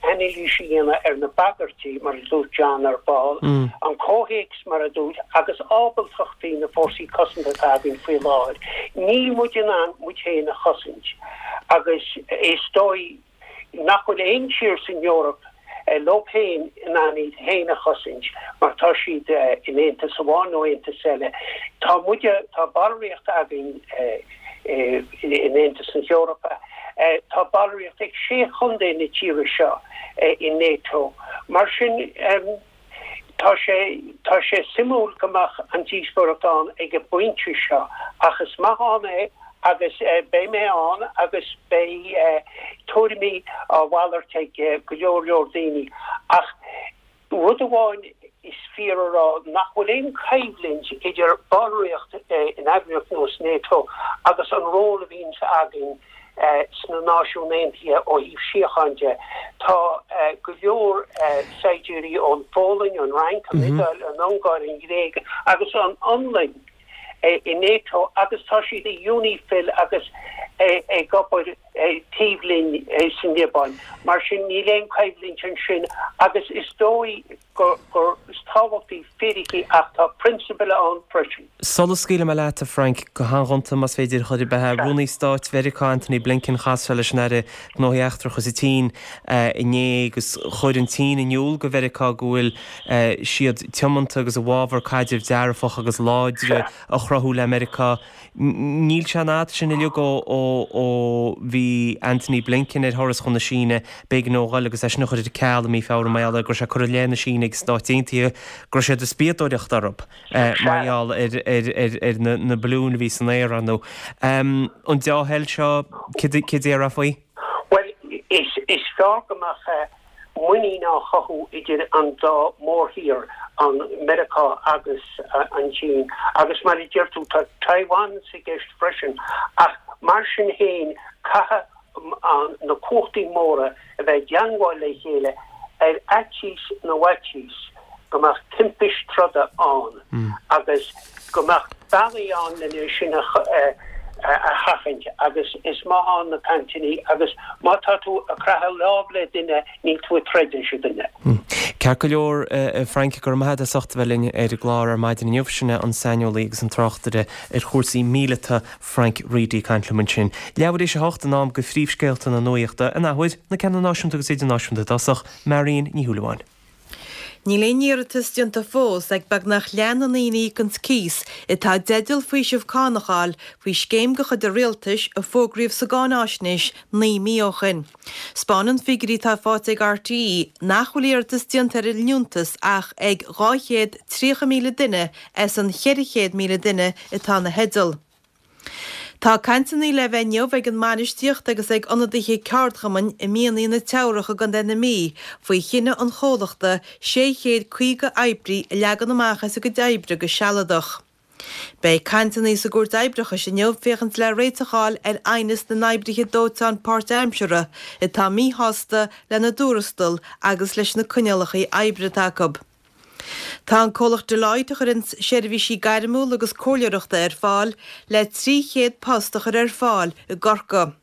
anailís a dhéanamh ar na bagairtí, mar a dúirt John ar ball, an comhthéacs, mar a dúirt, agus ábaltachtaí na fórsaí cosanta atá againn faoi láthair. Níl muid in ann muid féin a chosaint agus is dóigh nach bhfuil aon tír san Eoraip leo féin in ann iad féin a chosaint mar tá siad in aontas amháin nó aontas eile. Tá muide, tá ballraíocht againn in Aontas na hEorpa, tá ballraíocht ag sé chontae na tíre seo i NATO. Mar sin, tá sé, tá sé suimiúil go mbeadh an díospóireacht ann ag an bpointe seo ach is maith ann é agus beidh mé ann agus beidh tuairimí á mhalairt ag go leor leor daoine ach rud amháin is fíor a rá nach bhfuil aon choimhlint idir ballraíocht in eagraíocht nós NATO agus an ról a bhíonns againn sna Náisiúin Aontaithe ó thaobh síocháin de. Tá go leor saighdiúirí ón Pholainn, an Fhrainc, an Iodáil, an Ungáir, an Ghréig agus an Fhionlainn i NATO agus tá siad i UNIFIL agus ag obair. taobh linn sa Liobáin. Mar sin níl aon choimhlint ansin agus is dóigh gur is tábhachtaí fíricí ach tá prionsabail ann freisin. Sula scaoilfidh mé leat, a Frank, go han-ghonta más féidir a chur ar bith, Rúnaí Stáit Mheiriceá Antony Blinken, chas sé leis an Aire Gnóthaí Eachtracha sa tSín inné agus chuir an tSín in iúl go Mheiriceá go bhfuil siad tiomanta agus i bhfabhar caidreamh dearfach agus láidre a chruthú le Meiriceá. Níl sé an fhad sin uilig ó bhí Antony Blinken ar thuras chun na Síne, b'éigean dó a dhul agus é sin a chur ar ceal i mí Feabhra mar gheall ar go raibh sé ag cur i leith na Síne agus Stáit Aontaithe go raibh siad ag spiadóireacht orthu mar gheall ar na balúin a bhí san aer, ar ndóigh. An dea-thoil seo, cad a déarfá faoi? Bhuel, is fearr go mbeadh muinín á chothú idir an dá mhórthír, an Meiriceá agus an tSín, agus mar a deir tú, tá Taiwan sa gceist freisin, ach mar sin féin, caithfidh na cumhachtaí móra a bheith i dteangmháil le chéile ar fhaitíos na bhfaitíos go mbeadh timpist troda ann agus go mbeadh bealaí ann lena sin a sheachaint agus is maith ann na cainteanna agus má tá tú ag croitheadh lámh le duine níl tú ag troid leis an duine. Ceart go leor, a Frank, go raibh maith agat as ucht a bheith linn ar an gclár ar maidin inniu. Sin é an saineolaí agus an tráchtaire ar chúrsaí míleata, Frank Reidy, ag caint liom ansin. Leathuair théis a hocht in am do phríomhscéalta na nuachta, an athuair, na ceanna náisiúnta agus idirnáisiúnta i dtosach, Marion Ní Shúilleabháin. Níl aon iarratas déanta fós ag beagnach leath na ndaoine a íocanns cíos atá i dteideal faoiseamh cánach a fháil faoi scéim de chuid an Rialtais a fógraíodh sa gcáináisnéis 9 mí ó shin. 'Spáineann figiúirí atá faighte ag RTÉ nach bhfuil iarratas déanta ar an liúntas ach ag 230,000 duine as an 400,000 duine atá ina theideal. Tá cainteanna le bheith inniu ag an mbainistíocht agus ag ionadaithe ceardchumainn i Mianaigh na Teamhrach i gContae na Mí faoi chinneadh an chomhlachta 650 oibrí a leagan amach as a gcuid oibre go sealadach. Beidh cainteanna sa gCúirt Oibreachais inniu féachaint le réiteach a fháil ar aighneas na n-oibrithe dóiteáin páirtaimseartha atá míshásta lena dtuarastal agus leis na coinníollacha oibre atá acu. Tá an comhlacht Deloitte, a chuireann seirbhísí gairmiúla agus comhairleoireachta ar fáil, le 300 post a chur ar fáil i gCorcaigh.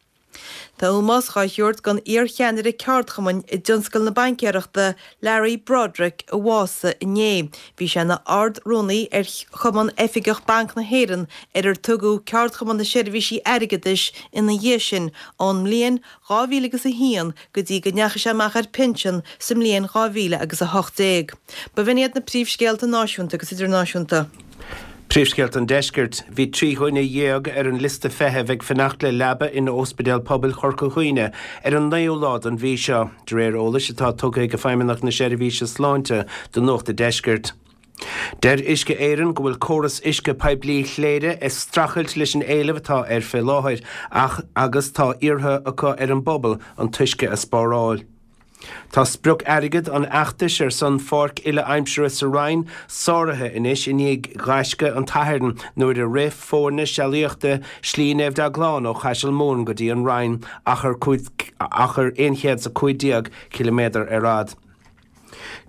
Tá ómós dhá thabhairt don iar-cheannaire ceardchumainn i dtionscal na baincéireachta, Larry Broderick, a bhásaigh inné. Bhí sé ina Ard-Rúnaí ar Chumann Oifigeach Banc na hÉireann, ar ar tugadh Ceardchumann na Seirbhísí Airgeadais ina dhiaidh sin, ón mbliain 2000 agus 1 go dtí go ndeachaigh sé amach ar pinsean sa mbliain 2000 agus 18. Ba bh'in iad na príomhscéalta náisiúnta agus idirnáisiúnta. Príomhscéalta an Deiscirt. Bhí 13 dhuine ar an liosta feithimh ag fanacht le leaba in Ospidéal Pobail Chorca Dhuibhne ar an naoú lá den mhí seo, de réir eolais atá tugtha ag Feidhmeannacht na Seirbhíse Sláinte do Nuacht an Deiscirt. Deir Uisce Éireann go bhfuil córas uisce poiblí Chléire ag streachailt leis an éileamh atá air fé láthair ach agus tá iarrtha acu ar an bpobal an t-uisce a spáráil. Tá sprioc airgid an fheachtais ar son pháirc uile-aimsire sa Rinn sáraithe anois i ndiaidh ghaisce an tSathairn nuair a rith foirne sealaíochta Slí Naomh Deaglán ó Chaiseal Mumhan go dtí an Rinn, achar 115 ciliméadar ar fhad.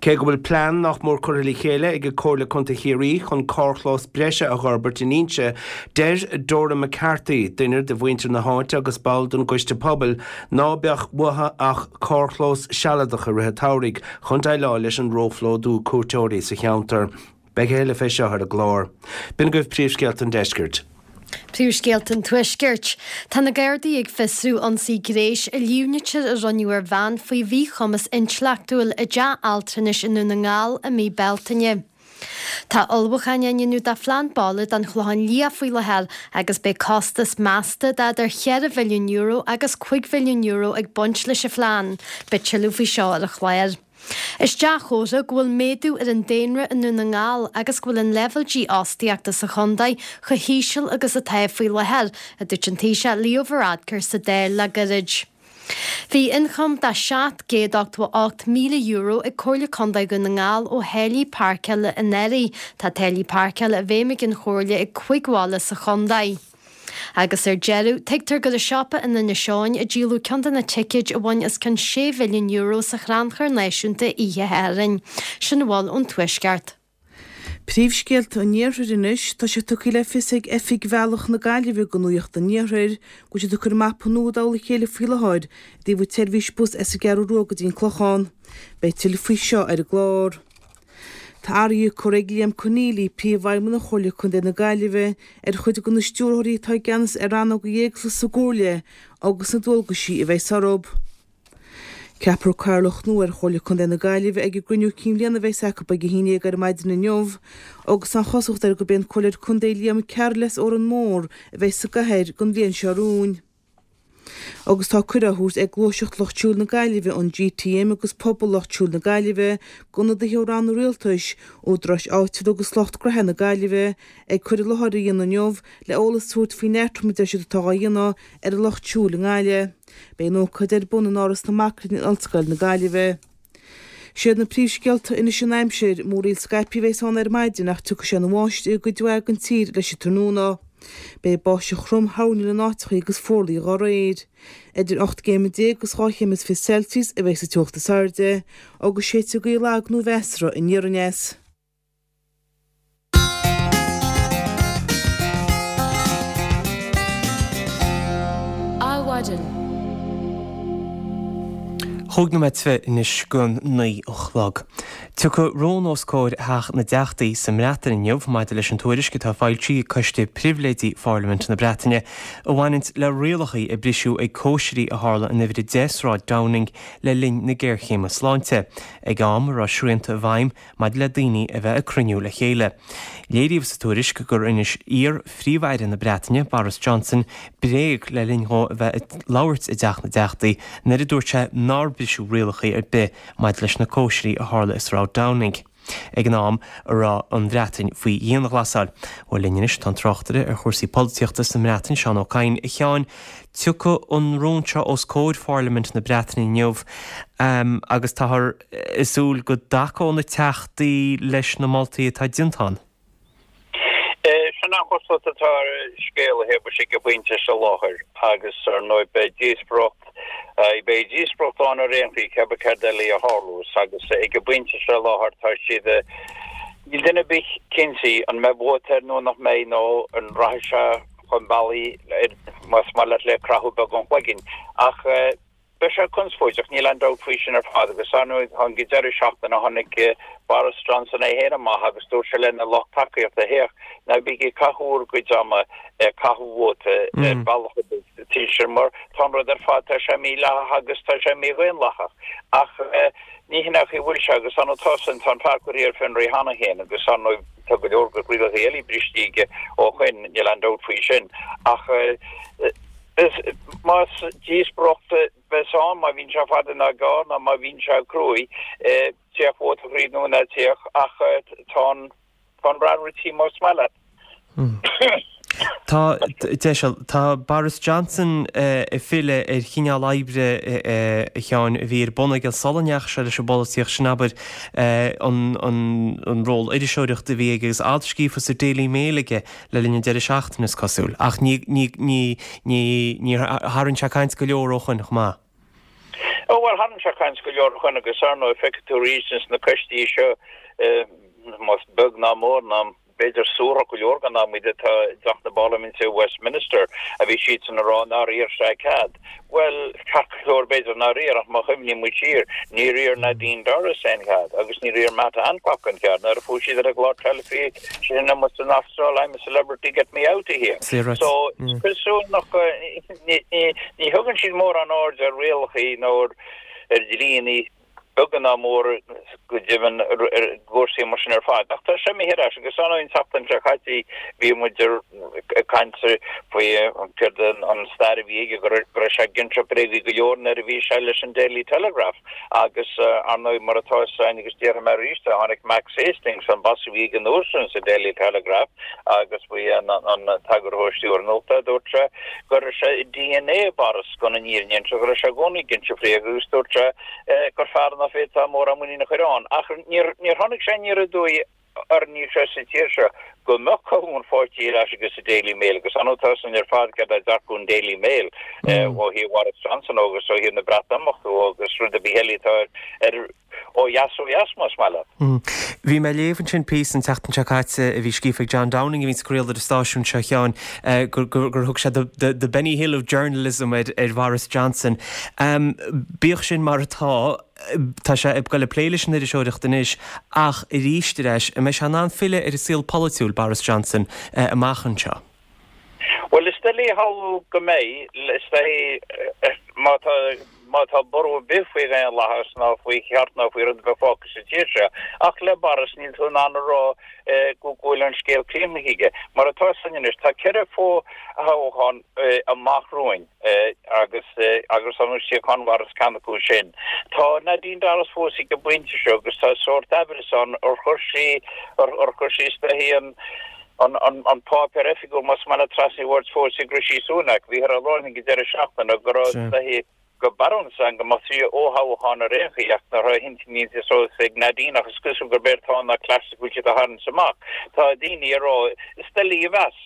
Cé go bhfuil plean nach mór curtha le chéile ag Comhairle Contae Chiarraí chun carrchlós breise a dh'fhorbairt in Inse, deir Dora McCarthy, duine de mhuintir na háite agus ball den gcoiste pobail, ná beadh uathu ach carrchlós sealadach i rith an tsamhraidh chun déileáil leis an róphlódú cuairteoirí sa cheantar. Beidh a thuilleadh fé seo ar an gclár. B'in agaibh príomhscéalta an deiscirt. Príomhscéalta an Tuaiscirt. Tá na Gardaí ag fiosrú ionsaí gnéis a líomhnaítear a rinneadh ar bhean faoi mhíchumas intleachtúil i dteach altranais i nDún na nGall i mí Bealtaine. Tá ullmhúcháin á ndéanamh do phlean baile don Chlochán Liath faoi láthair agus beidh costas measta d'idir €4 mhilliún agus €5 mhilliún ag baint leis an phlean. Beidh tuilleadh faoi seo ar an chlár. Is dea-chomhartha go bhfuil méadú ar an daonra i nDún na nGall agus go bhfuil an leibhéal dífhostaíochta sa chontae chomh híseal agus atá faoi láthair, a dúirt an Taoiseach Leo Varadkar sa Dáil le gairid. Bhí ioncam de €788,000 ag Comhairle Contae Dhún na nGall ó tháillí páirceála anuraidh. Tá táillí páirceála i bhfeidhm ag an Chomhairle i gcúig bhaile sa chontae. Agus ar deireadh, tuigtear gur i siopa in Inis Eoghain a díoladh ceann de na ticéid a bhain os cionn €6 mhilliún sa Chrannchur Náisiúnta oíche Shathairn. Sin a bhfuil ón Tuaisceart. Príomhscéalta an Iarthair anois, tá sé tugtha le fios ag Oifig Bhealach na Gaillimhe do Nuacht an Iarthair go bhfuil siad ag cur mapa nua i dtoll a chéile faoi láthair i dtaobh an tseirbhís bus as an gCeathrú Rua go dtí an Clochán. Beidh tuilleadh faoi seo ar an gclár. Tá athruithe curtha ag Liam Conneally, Príomhfheidhmeannach Chomhairle Contae na Gaillimhe, ar chuid de na stiúrthóirí atá i gceannas ar rannóga éagsúla sa gComhairle agus na dualgaisí a bheas orthu. Ceapfar cathaoirleach nua ar Chomhairle Contae na Gaillimhe ag an gcruinniú cinn bhliana a bheas acu ag a haon dhéag ar maidin inniu agus tá an chosúlacht air gurb é an Comhairleoir Contae Liam Carroll as Órán Mór a bheas sa gcathaoir don bhliain seo romhainn. Agus tá cuireadh á thabhairt ag Gluaiseacht Lucht Siúil na Gaillimhe, an GTM agus Pobal Lucht Siúil na Gaillimhe d'ionadaithe ó ranna rialtais, údaráis áitiúla agus lucht gnoithe na Gaillimhe ag cur i láthair a dhéanamh inniu le eolas a thabhairt faoin eatrom a deir siad atá á dhéanamh ar an lucht siúil i nGaillimh. Beidh an ócáid ar bun in Áras na Mac Léinn in Ollscoil na Gaillimhe. Siad na príomhscéalta anois an aimsir, múraíl scaipthe a bheas ann ar maidin ach tiocfaidh sé ina bháisteach i gcuid mhaith den tír leis an tráthnóna. Beidh báisteach throm thoirneach in áiteachaí agus fuarlaigh dá réir. Idir 18 gcéim agus 2 chéim is 20 Celsius a bheas an teocht is airde agus séidfidh gaoth lag nó mheasartha aniar aneas. Adhmhaidin. Chúig nóiméad is fiche anois go 9 a chlog. Tiocfaidh rún os comhair Theach na dTeachtaí sa mBreatain inniu maidir leis an tuairisc atá foilsithe ag Coiste Pribhléidí Pharlaimint na Breataine a bhaineanns le rialacha a briseadh ag cóisirí a tharla in Uimhir 10 Sráid Downing le linn na géarchéime sláinte, ag am a raibh srianta i bhfeidhm maidir le daoine a bheith ag cruinniú le chéile. Léiríodh sa tuairisc gur inis iar-Phríomh-Aire na Breataine, Boris Johnson, bréag le linn dhó a bheith ag labhairt i dTeach na dTeachtaí nuair a dúirt sé nár briseadh rialacha ar bith maidir leis na cóisirí a tharla i Sráid Downing ag an am a raibh an Bhreatain faoi dhianghlasáil. Bhuel linn anois tá an tráchtaire ar chúrsaí polaitíochta sa mBreatain, Seán Ó Cadhain. A Sheáin, tiocfaidh an rún seo os comhair Pharlaimint na Breataine inniu agus táthar ag súil go dtacóidh na teachtaí leis na moltaí atá déanta ann. Sin an chosúlacht atá ar an scéal a Shéamais ag an bpointe seo i láthair agus ar ndóigh beidh díospóireacht, beidh díospóireacht ann ar aon chaoi cébí céard eile a tharlós agus ag an bpointe seo i láthair tá siad, níl duine ar bith cinnte an mbeidh vóta air nó nach mbeidh nó an rachaidh sé chun bealaigh, más maith leat, le croitheadh beag an chloiginn. Ach beidh sé conspóideach, níl aon dabht faoi sin ar fad. Agus ar ndóigh, ag an deireadh seachtaine tháinig Boris Johnson é féin amach agus dúirt sé lena lucht tacaíochta, Féach, ná bígí ag caitheamh bhur gcuid ama ag caitheamh vóta ar bhealach ar bith sa tír sin mar tá an rud ar fad, tá sé mídhleathach agus tá sé mídhaonlathach. Ach ní hin é an chaoi a bhfuil sé agus ar ndóigh tá san, tá an fear curtha ar fionraí cheana féin agus ar ndóigh tá go leor rialacha eile briste aige ó shoin, níl aon dabht faoi sin. Ach más díospóireacht a bheas ann, má bhíonn sé fada ná gearr ná má bhíonn sé cruaidh, téadh vóta thríd nó ná téadh ach tá an tá an rath rite más maith leat. Tá, deiseal, tá Boris Johnson ag filleadh ar chineál oibre, a Sheáin, a bhí ar bun aige sula ndeachaigh sé leis an bpolaitíocht, sin abair, an, an, an ról iriseoireachta a bhí aige agus alt scríofa sa Daily Mail aige le linn an deireadh seachtaine, is cosúil. Ach ní, ní, ní, ní, níor tharraing sé caint go leor ó shoin chomh maith. Ó bhuel, tharraing sé caint go leor ó shoin agus ar ndóigh feicfidh tú arís ins na coistí seo, más beag ná mór ná b'fhéidir suarach go leor den am iad atá i dTeach na bParlaiminte i Westminster a bhí siadsan ag rá nár iarr sé cead. Bhuel, ceart go leor b'fhéidir nár iarr ach má chuimhníonn muid siar, níor iarr Nadine Dorries aon chead agus níor iarr Matt Hancock aon chead nuair a fuair siad ar an gclár teilifíse sin amuigh san Astráil I'm a celebrity get me out of here. So is cosúil nach ní thugann siad mórán aird ar rialacha nó ar dhlíonna beag ná mór go deimhin ar gcúrsaí mar sin ar fad. Ach tá sé imithe ar ais agus ar ndóigh an tseachtain seo caite bhí muid ag caint faoi céard an stair a bhí aige go raibh sé ag inse bréagaí go leor nuair a bhí sé leis an Daily Telegraph agus ar ndóigh mar atá fhios againn agus déarfaidh mé arís é tháinig Max Hastings an boss a bhí aige an uair sin sa Daily Telegraph agus ba é an t-eagarthóir stiúrtha nuachta dúirt sé go raibh sé i DNA Boris chun an fhírinne a inse go raibh sé i gcónaí ag inse bréaga agus dúirt sé gur fear nach bhféadfá mórán muinín a chur ann. Ach níor tháinig sé aniar aduaidh. ar an ní seo sa tír seo, go mbeadh colún pháirtí ar ais aige sa Daily Mail agus ar ndóigh tá a fhios againn ar fad céard é dearcadh an Daily Mail ó thaobh Bhoris Johnson agus ó thaobh na Breatimeachta agus rud ar bith eile atá ar ó dheas ó dheas, más maith leat. Bhí mé ag léamh ansin píosa an tseachtain seo caite a bhí scríofa ag John Downing a bhíonns ag craoladh ar an stáisiún seo, a Sheáin, gur thug sé the Benny Hill of journalism ar Bhoris Johnson. Bíodh sin mar atá, tá sé ag goil ag plé leis an iriseoireacht anois ach arís ar ais, an mbeidh sé in ann filleadh ar an saol polaitiúil, Boris Johnson, amach anseo? Bhuel, is doiligh a shamhlú go mbeidh, is dóichí, má tá, má tá borradh ar bith faoi dhaonlathas ná faoi cheart ná faoi rud ar bith fágtha sa tír seo. Ach le Boris, níl tú in ann a rá go bhfuil an scéal críochnaithe aige. Mar atá a fhios againn anois, tá 4 fho-thoghchán amach romhainn agus agus an suíochán Boris ceann acu sin. Tá Nadine Dorries fós ag an bpointe seo agus tá sórt aimhreas ann ar chuir sí, ar chuir sí is dóichí an, an páipéar oifigiúil más maith leat trasna an bhoird fós ag Rishi Sunak. Bhíothar á lorg ag an deireadh seachtaine go raibh is dóichí go barúil ann go mbeadh 3 fhothoghchán ar aon chaoi ach nach raibh a hintinn déanta suas ag Nadine ach is cosúil gurb éard atá ann ná cleas go bhfuil siad á tharraingt amach. Tá daoine ag rá is doiligh a mheas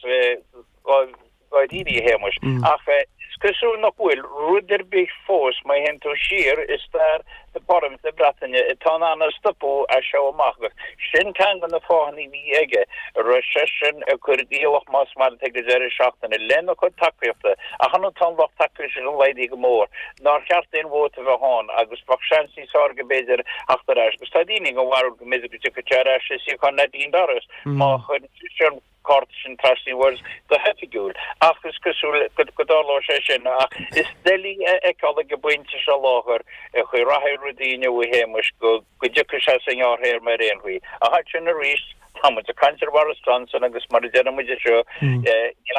dháiríre, a Shéamais, ach is cosúil nach bhfuil rud ar bith fós má théann tú siar i stair na Parlaiminte na Breataine atá in ann a stopadh as seo amach agus sin ceann de na fáthanna a bhí aige a raibh seisean ag cur iallach más maith leat ag an deireadh seachtaine lena chuid tacaíochta ach ar ndóigh tá an lucht tacaíochta sin laghdaithe go mór nár cheart aon vóta a bheith ann agus bheadh seans níos fearr aige b'fhéidir theacht ar ais agus tá daoine den bharúil go mb'fhéidir go dtiocfadh sé ar ais i suíochán Nadine Dorries má chuireann seisean cárta sin trasna an bhoird go hoifigiúil, ach is cosúil go dtarlóidh sé sin. Ach is doiligh a fheiceáil ag an bpointe seo láthair an chaoi a rachaidh rudaí inniu, a Shéamais, go dtiocfaidh sé sa ngearrthéarma ar aon chaoi. Ach ansin arís, tá muid ag caint ar Bhoris Johnson agus mar a deireann muid anseo, níl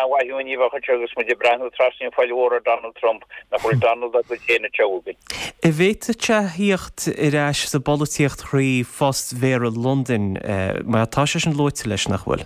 aon mhaith dúinn a bheith anseo agus muid ag breathnú trasna an phoill mhór ar Donald Trump, nach bhfuil Donald dá gcuid féin anseo againn. An bhféadfadh sé a thíocht ar ais sa bpolaitíocht thrí phost Mhéara Londain, mar tá sé sin luaite leis, nach bhfuil?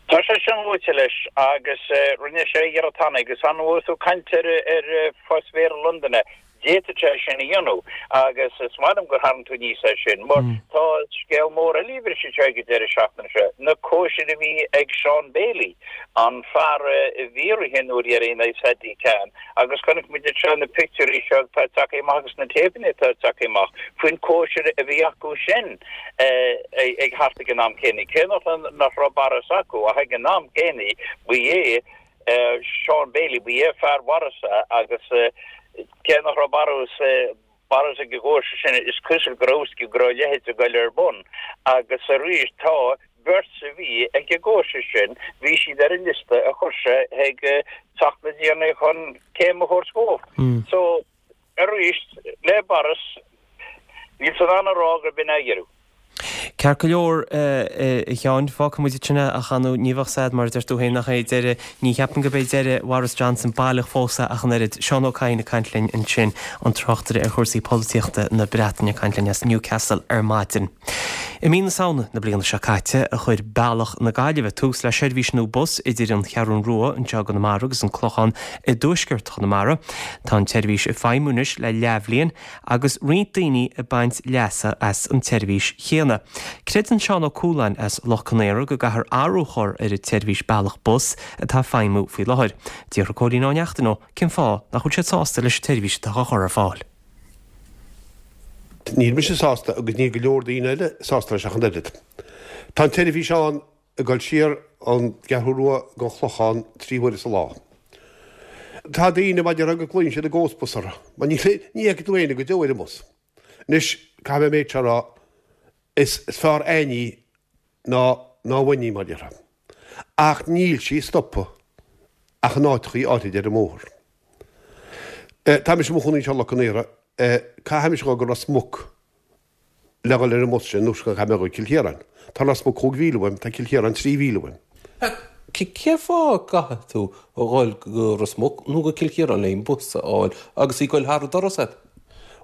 Tá sé sin luaite leis agus rinne sé iarracht cheana agus an bhfuil tú ag caint ar phost Mhéara Londain, d'fhéadfadh sé sin a dhéanamh agus is maith liom gur tharraing tú aníos é sin mar tá scéal mór eile a bhris anseo ag an deireadh seachtaine seo, na cóisir a bhí ag Shaun Bailey, an fear a bhí ag rith an uair dheiridh in aghaidh Sadiq Khan. Agus chonaic muid anseo na pictiúirí seo atá tagtha amach agus na téipeanna atá tagtha amach faoin cóisir a bhí acu sin ag thart ag an am céanna. Cé nach raibh Boris acu ach ag an am céanna ba é Shaun Bailey, ba é fear Bhoris agus cé nach raibh Boris Boris ag an gcóisir sin, is cosúil go raibh go raibh a leithéid ag goil ar bun. Agus arís tá beirt a bhí ag an gcóisir sin, bhí siad ar an liosta a chuir sé chuig Teach na dTiarnaí chun céim a thabhairt dhóibh. So, arís, le Boris, níl tú in ann a rá gurb in é a dheireadh. Ceart go leor, a Sheáin, fágfaidh muid ansin é ach ar ndóigh ní bheadh a fhios a'd mar a deir tú féin nach é deireadh, ní cheapaim gurb é deireadh Bhoris Johnson baileach fós é ach an oiread. Seán Ó Cadhain ag caint linn ansin, an tráchtaire ar chúrsaí polaitíochta na Breataine ag caint linn as Newcastle ar maidin. I mí na Samhna na bliana seo caite a chuir Bealach na Gaillimhe tús le seirbhís nua bus idir an Cheathrún Rua anseo i gConamara agus an Clochán i dtuaisceart Chonamara. Tá an tseirbhís ag feidhmiú anois le leathbhliain agus roinnt daoine ag baint leasa as an tseirbhís chéanna. Creideann Seán Ó Cualáin as Loch Con Aora go gcaithfear athrú a chur ar an tseirbhís Bealach Bus atá ag feidhmiú faoi láthair. D'fhiafraigh Cóilín Ó Neachtain dhó cén fáth nach bhfuil siad sásta leis an tseirbhís atá á chur ar fáil. Níl mise sásta agus níl go leor daoine eile sásta leis ach an oiread. Tá an tseirbhís ann ag dul siar ón gCeathrú Rua go an Chlochán 3 huaire sa lá. Tá daoine, mar a déarfá, go nglaonn siad an ghost bus orthu, mar ní fheicfidh tú éinne go deo ar an mbus. Anois, caithfidh mé an méid seo a rá, is fearr aon ní ná ná bhain í, mar a déarfá. Ach níl sí ag stopadh ach in áiteachaí áirid ar an mbóthar. Tá mise i mo chónaí anseo i Loch Con Aora, caithfidh mise dhul go Ros Muc le dhul ar an mbus sin nó caithfidh mé dhul go Cill Chiaráin. Tá Ros Muc 5 mhíle uaim, tá Cill Chiaráin 3 mhíle uaim. Cén fáth a gcaithfidh tú a dhul go Ros Muc nó go Cill Chiaráin le an bus a fháil agus í ag goil thar an doras agat?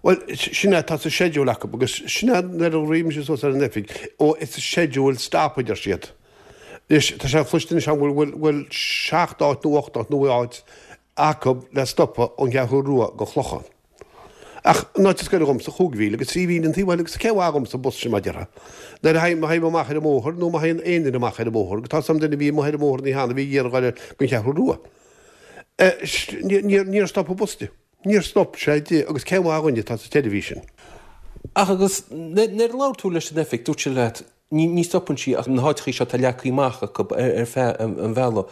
Bhuel, sin é, tá sa schedule acu agus sin é nuair a rith mise suas ar an oifig, oh it's a scheduled stop a deir siad. Anois, tá sé cloiste anois agam go bhfuil, bhfuil seacht áit nó ocht áit nó áit acu le stopadh ón gCeathrú Rua go Clochán. Ach an áit is gaire dhomsa, 5 mhíle agus 3 mhíle an taobh eile agus cén mhaith dhomsa an bus sin mar a déarfá. Nuair a théim, má théim amach ar an mbóthar nó má théann aon duine amach ar an mbóthar, agus tá 's a'm duine a bhí amuigh ar an mbóthar an oíche cheana a bhí ag iarraidh dhul gon Cheathrú Rua. Níor stop an bus di. Níor stop sé di agus cén mhaith dhuinn atá sa tseirbhís sin. Ach agus nuair a labhair tú leis an oifig, dúirt siad leat, ní stopann sí ach na háiteachaí seo atá leagtha amach acu ar feadh an bhealaigh.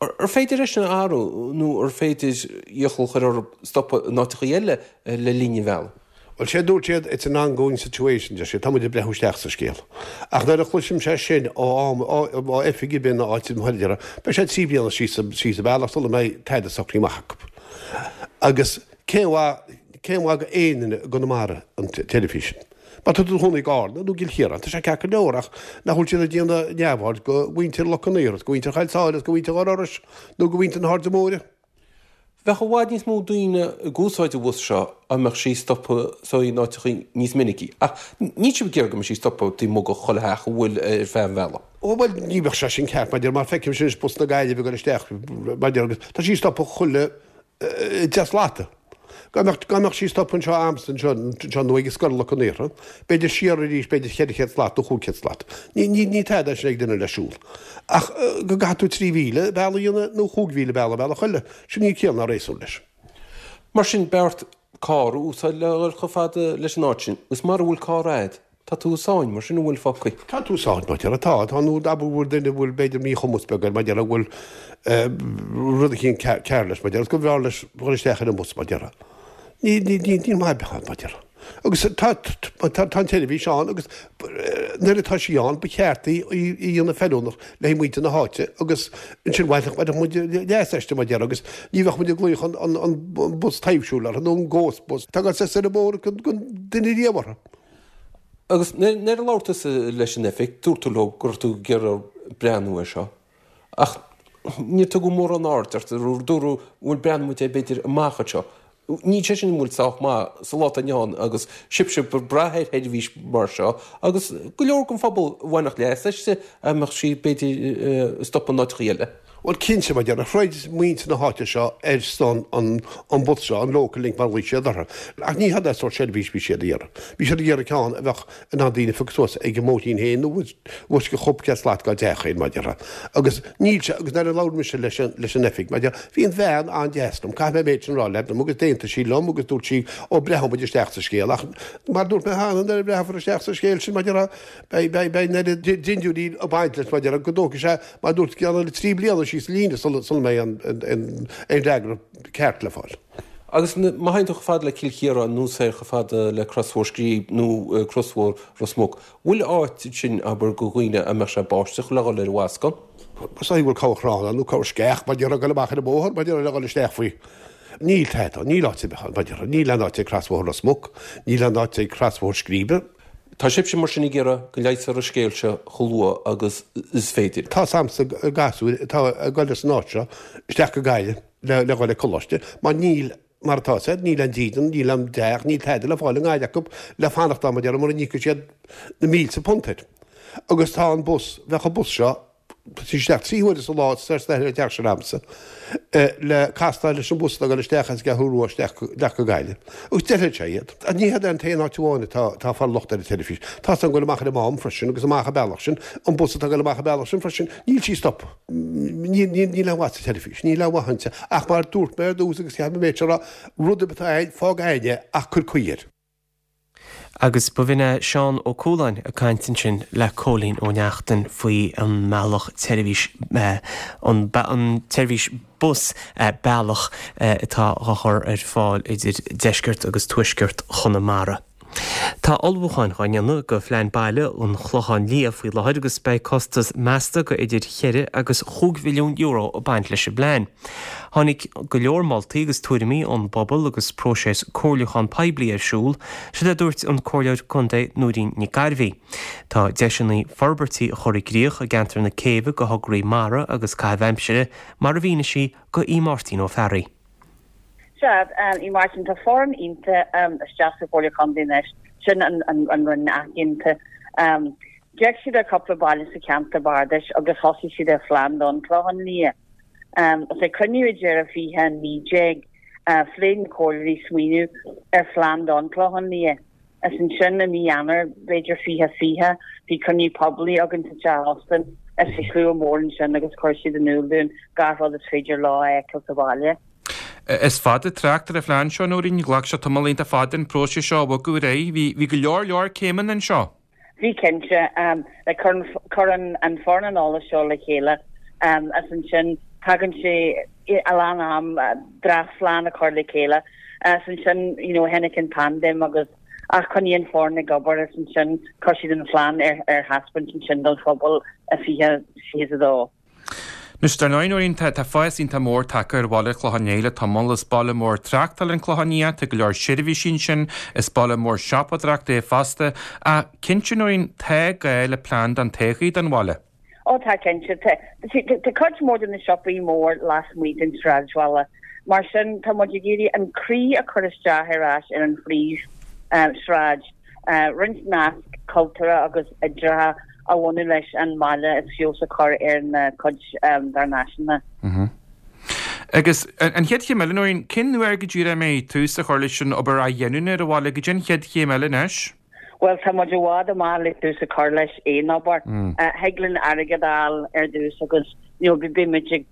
Ar féidir é sin a athrú nó ar féidir iachall a chur orthu stopadh in áiteachaí eile le linn an bhealaigh? Bhuel, sé a dúirt siad, it's an ongoing situation, deir siad, tá muid ag breathnú isteach sa scéal. Ach nuair a chloisimse é sin ó am, ó oifig ar bith nó áit mar a déarfá, beidh sé 3 bliana síos, síos an bealach sula mbeidh tada socraithe amach acu. Agus cén mhaith, cén mhaith go aon duine i gConamara an tseirbhís sin? Má tá tú i do chónaí i gCarna nó i gCill Chiaráin, tá sé ceart go leor ach nach bhfuil siad ag déanamh neamhaird go mhuintir Loch an Iúir, go mhuintir Choill Sáile is go mhuintir Dhoire Iorrais nó go mhuintir na hAirde Móire? Bheadh i bhfad níos mó daoine ag úsáid an bhus seo dá mbeadh sí ag stopadh so in áiteachaí níos minicí. Ach níl sibh ag iarraidh go mbeadh sí ag stopadh taobh amuigh de chuile theach a bhfuil ar feadh an bhealaigh. Ó bhuel ní bheadh sé sin ceart maidir mar feicimse anois bus na Gaillimhe ag dul isteach maidir agus tá sí ag stopadh chuile 10 slata. Dá mbeadh, dá mbeadh sí ag stopadh anseo a'msa anseo, anseo nó ag Scoil Loch an Iartha, b'fhéidir siar arís, b'fhéidir 400 slat nó 500 slat. Ní, ní, ní tada é sin ag duine le siúl. Ach go gcaithfidh tú 3,000 bealach a dhéanamh nó 5,000 bealach bealach eile, sin níl ciall ná réasún leis. Mar sin, b'fhearr carr a úsáid le dhul chomh fada leis an áit sin, agus mara bhfuil carr a'd, Tá tú i sáinn, mar sin an bhfuil fágtha. Tá tú i sáinn, mar déarfá, tá, tá, nó abair go bhfuil duine a bhfuil b'fhéidir míchumas beag air, mar déarfá, go bhfuil rud eicínt cearr leis, mar déarfá, agus go mb'fhearr leis dhul isteach ar an mbus, mar déarfá. Ní, ní, ní, níl maith ar bith ann, mar déarfá. Agus tá, tá, tá an tseirbhís ann agus nuair atá sí ann ba cheart í, í a dhéanamh feiliúnach le haghaidh muintir na háite agus ansin bhainfeadh, bhainfeadh muid leas aisti, mar déarfá, agus ní bheadh muid ag glaoch an, an, an bus taibhsiúil orthu nó an ghost bus. Tá gach saghas ar an mbóthar gan duine riamh orthu. Agus nuair a labhair tusa leis an oifig, dúirt tú leo go raibh tú ag iarraidh breathnú air seo, ach níor tugadh mórán aird ort, dúradh bhuel breathnóidh muid air b'fhéidir amach anseo. Níl sé sin an bhfuil sách maith sa lá atá inniu ann agus sibhse ag brath ar sheirbhís mar seo agus go leor den phobal a bhainfeadh leas aisti dá mbeadh sí b'fhéidir ag stopadh in áiteachaí eile. Bhuel, cinnte, mar déarfá, throid muintir na háite seo ar son an an bus seo, an Local Link mar a ghlaoigh siad orthu. Ach ní hé an sórt seirbhís bhí siad a iarraidh. Bhí siad ag iarraidh ceann a bheadh in ann daoine a phiocadh suas ag an mbóithrín féin nó bus go chúpla céad slat dá dteach féin, mar déarfá. Agus níl sé, agus nuair a labhair mise leis an leis an oifig, mar déarfá, bhí an bhean an-deas liom, caithfidh mé an méid sin a rá leat, liom agus d'aontaigh sí liom agus dúirt sí, ó breathnóidh muid isteach sa scéal. Ach mar a dúirt mé cheana, nuair a bhreathnófar isteach sa scéal sin, mar déarfá, Beidh an oiread dindiúirí ag baint leis mar déarfá go dtógfaidh sé, mar a dúirt, ceann eile 3 bliana síos an líne sula mbeidh aon fhreagra ceart le fáil. Agus má théann tú chomh fada le Cill Chiaráin nó soir chomh fada le Crosbhóthar Scríbe nó Crosbhóthar Ros Muc, bhfuil áit ansin, abair, do dhaoine a mbeadh sé báisteach le dhul ar an bhfoscadh? Is dóigh go bhfuil corr chrann ann nó corr sceach, mar déarfá, ag dul amach ar an bhóthar, mar déarfá, le dhul isteach faoi. Níl tada, níl áit ar bith ann, mar déarfá. Níl aon áit ag Crosbhóthar Ros Muc, níl aon áit ag Crosbhóthar Scríbe. Tá sibhse mar sin ag iarraidh go leigheasfar an scéal seo chomh luath agus is féidir. Tá 's a'msa gasúir atá ag dul as an áit seo isteach go Gaillimh le le dhul ag coláiste mar níl, mar atá 's a'd, níl aon dídean, níl aon teach, níl tada le fáil i nGaillimh acu le fanacht ann mar déarfá mura n-íocfaidh siad na mílte punt air. Agus tá an bus, bheadh an bus seo, isteach 3 huaire sa lá soir is ar an teach sin a'msa le castáil leis an bhus atá ag dul isteach as an gCeathrú Rua isteach go Gaillimh. Agus d'fheilfeadh sé iad. Ach ní hé an t-aon áit amháin atá atá ag fáil locht ar an tseirbhís. Tá 's a'm ag dul amach ar an Mám freisin agus amach an bealach sin, an bus atá ag dul amach an bealach sin freisin, níl sí ag stopadh. Níl níl aon mhaith sa tseirbhís, níl aon mhaith inti. Ach mar a dúirt mé ar dtús agus caithfidh mé an méid seo a rá, rud ar bith atá a'inn, fág a'inn é ach cuir caoi air. Agus ba bh'in é Seán Ó Cualáin ag caint ansin le Cóilín Ó Neachtain faoi an mbealach tseirbhís, an tseirbhís bus bealach atá á chur ar fáil idir deisceart agus tuaisceart Chonamara. Tá ullmhúcháin dhá ndéanamh do phlean baile an Chlocháin Liath faoi láthair agus beidh costas measta go idir cheithre agus chúig mhilliún euro ag baint leis an bplean. Tháinig go leor moltaí agus tuairimí ón bpobal agus próiseas comhairliúchán poiblí ar siúl, siod é a dúirt an Comhairleoir Contae Nóirín Nic Gairbhí. Tá deiseanna forbairtí a chur i gcrích i gceantar na Céibhe do thograí mara agus caitheamh aimsire, mar a mhínigh sí do Aodh Máirtín Ó Fearraigh. Sea, a Mháirtín, tá foireann iontach isteach sa Chomhairle Contae anois, sin an Roinn athghéinte. D'fhéach siad ar cúpla baile sa cheantar bardais agus thosaigh siad ar phlean don Chlochán Liath. Agus ag cruinniú ag deireadh 2019. Phléigh na comhairleoirí smaoineamh ar phlean don Chlochán Liath. Is ansin i mí Eanáir, b'fhéidir 2020, bhí cruinniú poiblí againn sa teach óstáin is bhí slua mór ansin agus chuir siad in iúl dúinn gach rud is féidir leo a fheiceáil sa bhaile. Is fada trácht ar an phlean seo, Nóirín. Ghlac sé tamall iontach fada an próiseas seo a bhogadh ar aghaidh. Bhí, bhí go leor leor céimeanna anseo. Bhí cinnte. Like cuireann an foireann an eolas seo le chéile is ansin tagann sé a lán am dréachtphlean a chur le chéile is ansin you know tháinig an paindéim agus ach choinnigh an foireann ag obair is ansin chuir siad an phlean ar ar thaispeáint ansin don phobal i 2022. Anois, dar ndóigh, Nóirín, tá fás iontach mór tagtha ar bhaile an Chlocháin Léith le tamall. Is baile mór tráchtála an Clochán Liath, tá go leor seirbhísí ansin, is baile mór siopadóireachta é fosta. Ach cinnte, Nóirín, tá gá le plean don todhchaí don bhaile. Ó tá, cinnte. Tá cuid mhór de na siopaí mór lasmuigh den sráidbhaile. Mar sin, tá muid ag iarraidh an croí a chur isteach ar ais ar an phríomhshráid. roinnt nasc cultúrtha agus oidhreachta a bhunú leis an mbaile is feabhas a chur ar na cuid dár n-áiseanna. Agus an chéad chéim eile, Nóirín, cén uair go díreach a mbeidh tús á chur leis an obair athghiniúna ar an bhaile? Goidé an chéad chéim eile anois? Bhuel, tá muid i bhfad amach le tús a chur leis aon obair. Thig linn airgead a fháil ar dtús agus you know beidh muid ag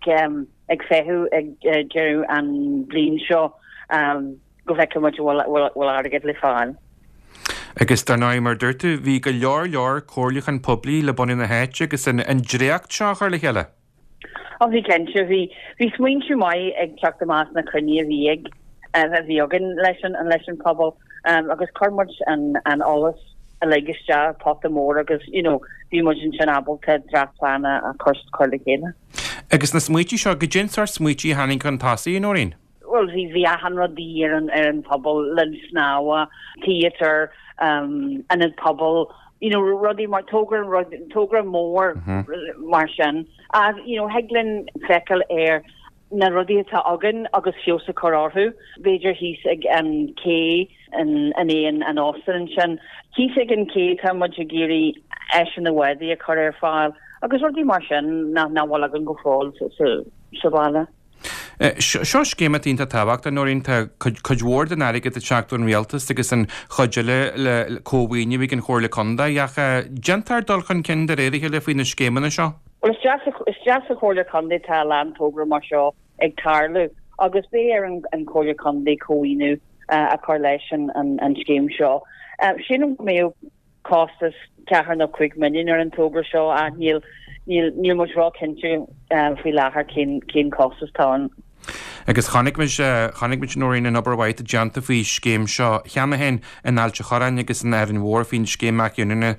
ag feitheamh ag deireadh an bhliain seo. go bhfeicfidh muid an bhfuil airgead le fáil. Agus dar ndóigh, mar a dúirt tú, bhí go leor leor comhairliúchán poiblí le bunadh na háite agus an dréacht seo a chur le chéile. Ó bhí cinnte, bhí bhí smaointe maith ag teacht amach sna cruinnithe a bhí ag a bhí againn leis an leis an pobal agus chuir muid an an eolas uilig isteach i pota mór agus you know bhí muid ansin ábalta dréachtphlean a chur chur le chéile. Agus na smaointe seo, goidé an sórt smaointe a tháinig chun tosaigh, a Nóirín? Bhuel, bhí, bhí achan rud de dhíth ar an, ar an phobal, linn snámha, theatre, ionad pobail, you know, rudaí mar, togra, rud, togra mór mar sin. Ach, you know, thig linn feiceáil ar na rudaí atá againn agus feabhas a chur orthu. B'fhéidir thíos ag an cé in, in aon, an óstán ansin. Thíos ag an cé tá muid ag iarraidh áiseanna bádaí a chur ar fáil agus rudaí mar sin nach, nach bhfuil againn go fóill sa, sa, sa bhaile. Seo scéim atá iontach tábhachtach, Nóirín. Tá cuid mhór den airgead ag teacht ón rialtas agus an chuid eile le cómhaoiniú ag an Chomhairle Contae. Ach déantar dul chun cinn de réir a chéile faoi na scéimeanna seo. Bhuel, isteach sa Chomhairle Contae tá a lán togra mar seo ag tarlú agus beidh ar an Chomhairle Contae cómhaoiniú a chur leis an scéim seo. Sílim go mbeadh costas ceathair nó 5 milliún ar an togra seo ach níl níl níl muid ró-chinnte faoi láthair cén cén costas atá ann. Agus chonaic muid chonaic muid Nóirín an obair mhaith atá déanta faoi scéim seo cheana féin in Ailt an Chorráin agus in Árainn Mhór faoin scéim athghiniúna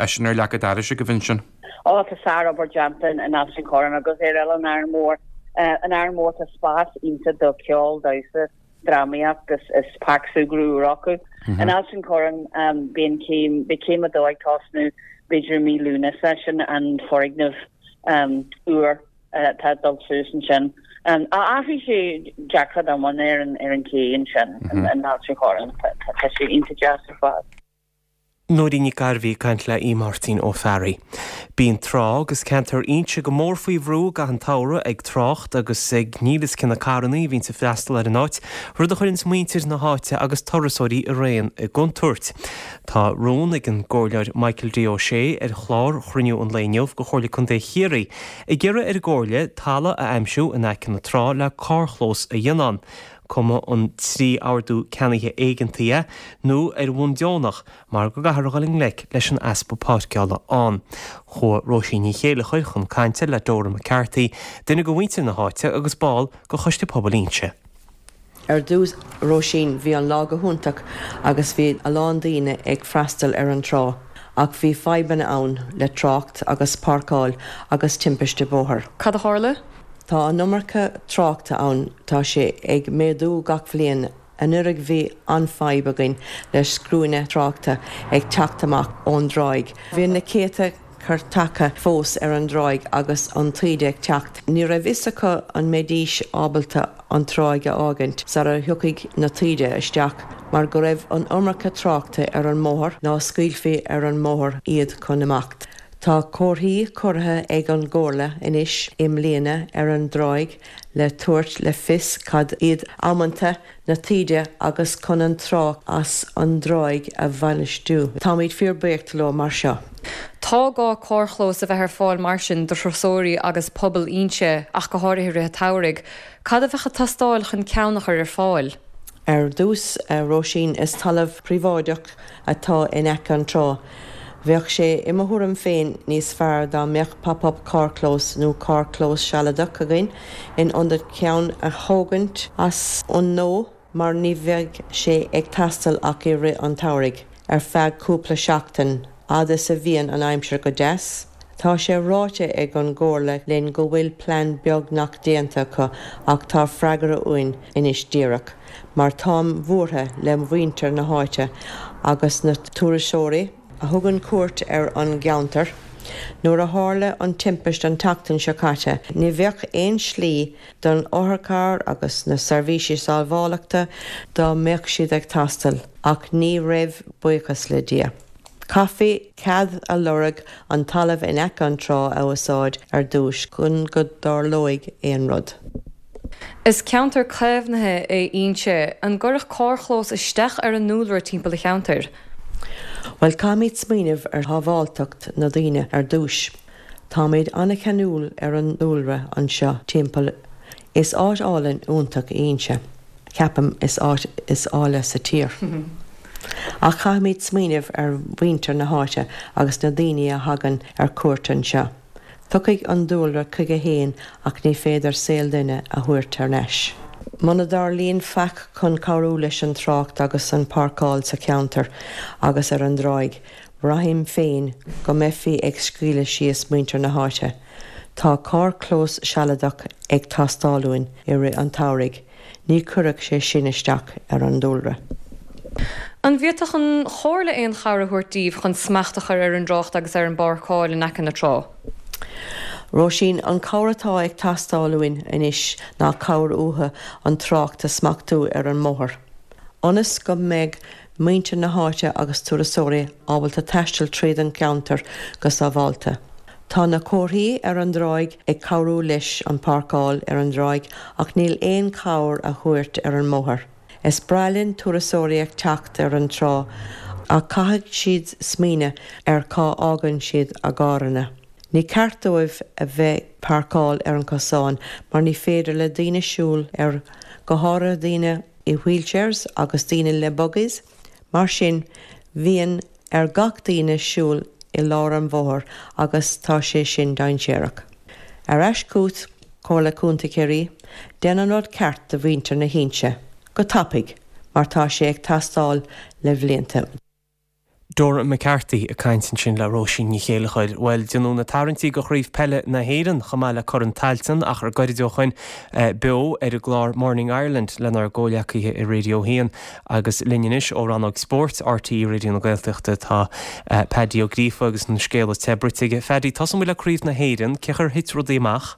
sin ar leac an dorais agaibh ansin. Ó tá sár-obair déanta in Ailt an Chorráin agus ar Oileán Árainn Mhór. In Árainn Mhór tá spás iontach do cheol, damhsa, drámaíocht is páirc súgradh úr acu. In Ailt an Chorráin beidh an céim, beidh céim a dó ag tosnú b'fhéidir i mí Lúnasa, sin an foirgneamh úr atá ag dul suas ansin. Athraigh sé dearcadh iomlán ar an ar an cé ansin in Ailt an Chorráin, tá sé iontach deas ar fad. Nóirín Nic Gairbhí ag caint le Aodh Máirtín Ó Fearraigh. Bíonn trá agus ceantar Inse go mór faoi bhrú i gcaitheamh an tsamhraidh ag trácht agus ag níl 'fhios cé na carrannaí a bhíonns ag freastal ar an áit, rud a chuireanns muintir na háite agus turasóirí araon i gcontúirt. Tá rún ag an gComhairleoir Michael D. Ó Sé ar chlár chruinniú an lae inniu de Chomhairle Contae Chiarraí ag iarraidh ar an gComhairle talamh a aimsiú in aice na trá le carrchlós a dhéanamh ann. cuma an trí ordú ceannaithe éigeantaí é nó ar bhonn deonach mar go gcaithfear a dhul i ngleic leis an easpa páirceála ann. Chuaigh Róisín Ní Chéileachair chun cainte le Dora McCarthy, duine de mhuintir na háite agus ball de Choiste Pobail Inse. Ar dtús, Róisín, bhí an lá go hiontach agus bhí a lán daoine ag freastal ar an trá ach bhí fadhbanna ann le trácht agus páirceáil agus timpiste bóthair. Cad a tharla? Tá an iomarca tráchta ann, tá sé ag méadú gach bhliain. Anuraidh bhí an-fhadhb againn le scuaine tráchta ag teacht amach ón dtráigh. Bhí na céadta carr tagtha fós ar an dtráigh agus an taoide ag teacht. Ní raibh fhios acu an mbeidís ábalta an tráigh a fhágaint sara thiocfaidh na taoide isteach mar go raibh an iomarca tráchta ar an mbóthar ná scaoilfí ar an mbóthar iad chun imeacht. Tá comharthaí curtha ag an gComhairle anois i mbliana ar an dtráigh le tabhairt le fios cad iad amanta na taoide agus chun an trácht as an dtráigh a bhainistiú. Táimid fíor buíoch leo mar seo. Tá gá carrchlós a bheith ar fáil mar sin do thurasóirí agus pobal Fhínse, ach go háirithe i rith an tsamhraidh. Cad a bheadh ag teastáil chun ceann a chur ar fáil? Ar dtús, a Róisín, is talamh príobháideach atá in aice an trá. Bheadh sé, i mo thuairim féin, níos fearr dá mbeadh pop-up carrchlós nó carrchlós sealadach againn in ionad ceann a thógaint as an nua mar ní bheidh sé ag teastáil ach i rith an tsamhraidh, ar feadh cúpla seachtain, fhad is a bhíonn an aimsir go deas. Tá sé ráite ag an gComhairle linn go bhfuil plean beagnach déanta acu ach tá freagra uainn anois díreach mar táim buartha le muintir na háite agus na turasóirí a thugann cuairt ar an gceantar. Nuair a tharla an timpist an tseachtain seo caite ní bheadh aon slí don otharcharr agus na seirbhísí sábhálachta dá mbeadh siad ag teastáil ach ní raibh buíochas le Dia. Chaithfí cead a lorg an talamh in aice an trá a úsáid ar dtúis chun go dtarlóidh aon rud. Is ceantar caomhnaithe é Inse. An gcuirfeadh carrchlós isteach ar an ndúlra timpeall an cheantair? Bhuel, caithfimid smaoineamh ar shábháilteacht na daoine ar dtúis. Táimid an-cheanúil ar an ndúlra anseo timpeall. Is áit álainn iontach í Inse. Ceapaim is áit is áille sa tír. Ach caithfimid smaoineamh ar mhuintir na háite agus na daoine a thagann ar cuairt anseo. Tiocfaidh an dúlra chuige fhéin ach ní féidir saol duine a thabhairt thar n-ais. Muna dtarlaíonn faic chun cabhrú leis an trácht agus an páirceáil sa cheantar agus ar an dtráigh, braithim féin go mbeifí ag scaoileadh síos muintir na háite. Tá carrchlós sealadach ag teastáil uainn i rith an tsamhraidh. Ní chuirfeadh sé sin isteach ar an dúlra. An bhféadfadh an Chomhairle aon chabhair a thabhairt daoibh chun smacht a chur ar an dtrácht agus ar an bpáirceáil in aice na trá? Róisín, An chabhair atá ag teastáil uainn anois ná cabhair uathu an trácht a smachtú ar an mbóthar. Ionas go mbeidh muintir na háite agus turasóirí ábalta taisteal tríd an gceantar go sábháilte. Tá na comharthaí ar an dtráigh ag cabhrú leis an páirceáil ar an dtráigh ach níl aon chabhair a thabhairt ar an mbóthar. Is breá linn turasóirí ag teacht ar an trá ach caithfidh siad smaoineamh ar cá fhágann siad a gcarranna. Ní ceart dóibh a bheith páirceáil ar an cosán mar ní féidir le daoine siúl air go háirithe daoine i wheelchairs agus daoine le buggies, mar sin bhíonn ar gach daoine siúl i lár an bhóthair agus tá sé sin dainséarach. Ar ais chugat, Comhairle Contae Chiarraí, déan an rud ceart do mhuintir na hInse, go tapaidh, mar tá sé ag teastáil le bhlianta. Dora McCarthy ag caint ansin le Róisín Ní Chéilleachair. Bhuel, déanadh na tarraingtí do Chraobh Peile na hÉireann chomh maith le Corn Tailteann achar gairid ó shoin beo ar an gclár Morning Ireland lenár gcomhleacaithe i Radio 1 agus linn anois ó rannóg spóirt RTÉ Raidió na Gaeltachta tá Paddy Ó Gríofa agus an scéal is te bruite aige. Phaddy, tosóidh muid le Craobh na hÉireann. Cén chaoi ar thit rudaí amach?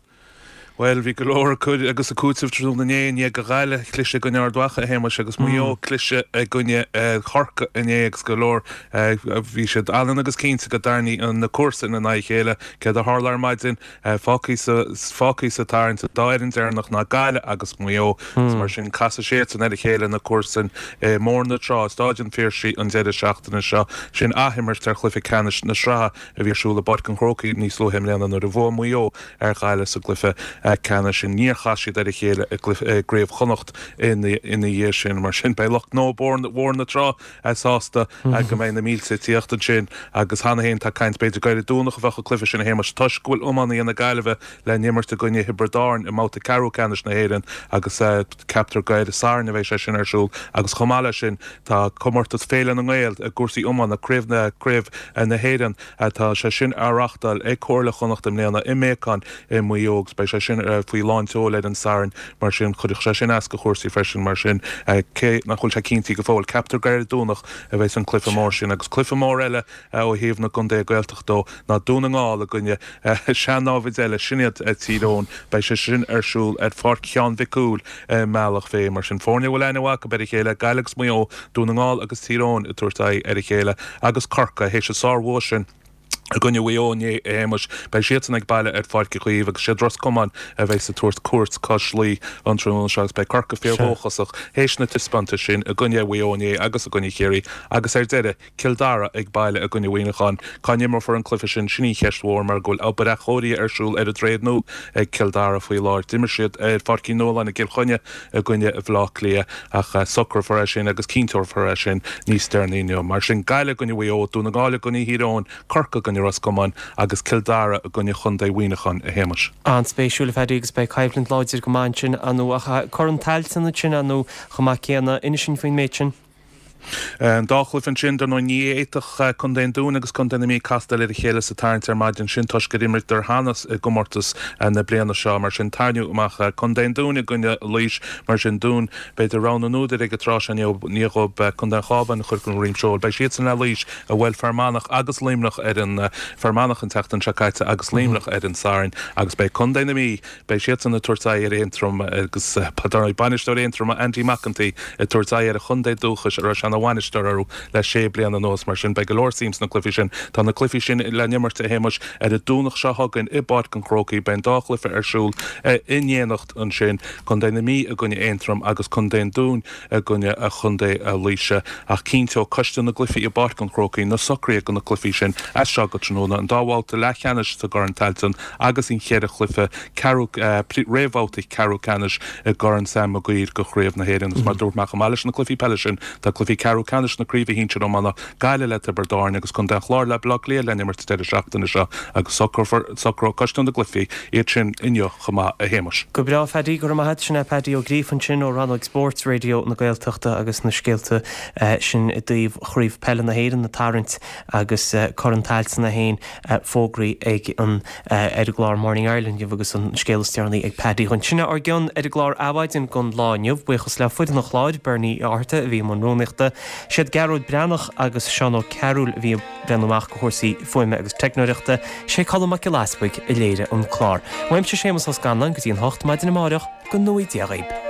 Bhuel, bhí go leor ag cur agus ag cúiteamh tráthnóna inné i ndiaidh do Ghaillimh cliseadh i gcoinne Ard Mhacha, a Shéamais, agus Maigh Eo cliseadh i gcoinne Chorcaí inné agus go leor, bhí siad ionann agus cinnte go dtarraingeofaí na cúrsaí ina n-aghaidh a chéile. Céard a tharla ar maidin? Fágtha sa, fágtha sa tarraingt an dá fhoireann deireanach ná Gaillimh agus Maigh Eo agus mar sin casfaidh siadsan ar a chéile na comharsain i mBóthar na Trá, i Stáid an Phiarsaigh an deireadh seachtaine seo. Sin athimirt ar chluiche ceannais na sraithe a bhí ar siúl i bPáirc an Chrócaigh níos luaithe i mbliana nuair a bhuaigh Maigh Eo ar Ghaillimh sa gcluiche ceannais sin. Níor chas siad ar a chéile i gCraobh Chonnacht ina dhiaidh sin. Mar sin, beidh lucht gnó Bhóthar na Trá sásta go mbeidh na mílte ag tíocht ansin agus cheana féin tá caint b'fhéidir gur ar an Domhnach a bheadh an cluiche sin a Shéamais toisc go bhfuil iománaithe na Gaillimhe le n-imirt i gcoinne Thiobraid Árann i mbabhta ceathrú ceannais na hÉireann agus ceaptar gur ar an Satharn a bheidh sé sin ar siúl agus chomh maith leis sin tá comórtas Féile na nGael i gcúrsaí iomána, Craobh na Craobh na hÉireann, tá sé sin á reáchtáil ag Comhairle Chonnacht i mbliana i mBéacán i Maigh Eo agus beidh sé sin faoi lán tseoil ar an Satharn mar sin chuirfeadh sé sin as do chúrsaí freisin mar sin cé nach bhfuil sé cinntithe go fóill ceaptar gur ar an Domhnach a bheas an cluiche mór sin agus cluiche mór eile ó thaobh na gcontaetha Gaeltachta dó ná Dún na nGall i gcoinne sean-náimhid eile, sin iad Tír Eoghain. Beidh sé sin ar siúl ar Pháirc Sheáin Mhic Cumhaill i mBealach Féich. Mar sin, foirne a bhfuil aithne mhaith acu ar a chéile, Gaillimh agus Maigh Eo, Dún na nGall agus Tír Eoghain ag tabhairt aghaidh ar a chéile agus Corcaigh, théis an sár-bhua sin. I gcoinne Mhaigh Eo inné, a Shéamais, beidh siadsan ag baile ar Pháirc Uí Chaoimh agus siad Ros Comáin a bheas ag tabhairt cuairt cois Laoi an tráthnóna seo agus beidh Corcaigh fíor-dhóchasach théis na taispeántais sin i gcoinne Mhaigh Eo inné agus i gcoinne Chiarraí agus ar deireadh, Cill Dara ag baile i gcoinne Mhuineacháin. Cá n-imreofar an cluiche sin, sin í an cheist mhór mar go bhfuil obair athchóirithe ar siúl ar an dTroichead Nua ag Cill Dara faoi láthair. D'imir siad ar Pháirc Uí Nualláin i gCill Chainnigh i gcoinne Bhaile Átha Cliath ach socrófar é sin agus cinnteofar é sin níos deireanaí inniu. Mar sin, Gaillimh i gcoinne Mhaigh Eo, Dún na nGall i gcoinne Thír Eoghain, Corcaigh i gcoinne Ros Comáin agus Cill Dara i gcoinne Chontae Mhuineacháin, a Shéamais. An-spéisiúil, a Phaddy, agus beidh coimhlint láidir go maith ansin, ar ndóigh. Ach Corn Tailteann ansin, ar ndóigh, chomh maith céanna. Inis dúinn faoin méid sin. An dá chluiche ansin, dar ndóigh, ní fhéadfadh Contae an Dúin agus Contae na Mí castáil ar a chéile sa tarraingt ar maidin sin toisc gur imríodar cheana i gcomórtas na bliana seo. Mar sin, tarraingíodh amach Contae an Dúin i gcoinne Laois. Mar sin, Dún, b'fhéidir, rogha na n-údar ag an tráth seo i ndiaidh dhóibh Contae an Chabháin a chur den dhroim seoil. Beidh siadsan le Laois a bhuail Fear Manach agus Luimneach ar an Fear Manach an tseachtain seo caite agus Luimneach ar an Satharn agus beidh Contae na Mí Beidh siadsan ag tabhairt aghaidh ar Aontroim agus dar ndóigh bainisteoir Aontroma Andy McEntee ag tabhairt aghaidh ar a chontae dúchais a raibh sé ina bhainisteoir orthu le sé bliana anuas. Mar sin beidh go leor suim sna cluichí sin. Tá na cluichí sin le n-imirt, a Shéamais, ar an Domhnach seo chugainn i bPáirc an Chrócaigh. Beidh an dá chluiche ar siúl in éineacht ansin, Contae na Mí i gcoinne Aontroim agus Contae an Dúin i gcoinne Chontae Laoise. Ach cinnteoidh Coiste na gCluichí i bPáirc an Chrócaigh na socruithe do na cluichí sin as seo go tráthnóna. An dá bhabhta leathcheannais sa gCorn Tailteann agus an cheithre chluiche ceathrú, réamhbhabhta ceathrú ceannais i gCorn Sam Maguire do Chraobh na hÉireann. Agus mar a dúirt mé, chomh maith leis na cluichí peile sin, tá cluichí ceathrú ceannais na Craoibhe Shinsir Iomána, Gaillimh le Tiobraid Árann agus Contae an Chláir le Baile Átha Cliath le n-imirt an deireadh seachtaine seo agus socrófar, socróidh Coiste na gCluichí iad sin inniu chomh maith, a Shéamais. Go breá, a Phaddy, go raibh maith a't. Sin é Paddy Ó Gríofa ansin ó rannóg Spóirt Raidió na Gaeltachta agus na scéalta sin i dtaobh Chraobh Peile na hÉireann ag tarraingt agus Corn Tailteann é féin fógraithe ag an ar an gclár Morning Ireland inniu agus an scéal is deireanaí ag Paddy. Sin é ár gcion ar an gclár Adhmhaidin don lá inniu. Buíochas le foireann an chláir, Bernie Ó Fhátharta a bhí i mbun rúnaíochta, siad Gearóid Breathnach agus Seán Ó Cearúil a bhí ag breathnú amach do chúrsaí fuaime agus teicneoireachta, sé Colm Mac Giolla Easbuig a léirigh an clár. Uaimse Séamus Ó Scanláin go dtí an 8 maidin amáireach, go ngnóthaí Dia dhaoib.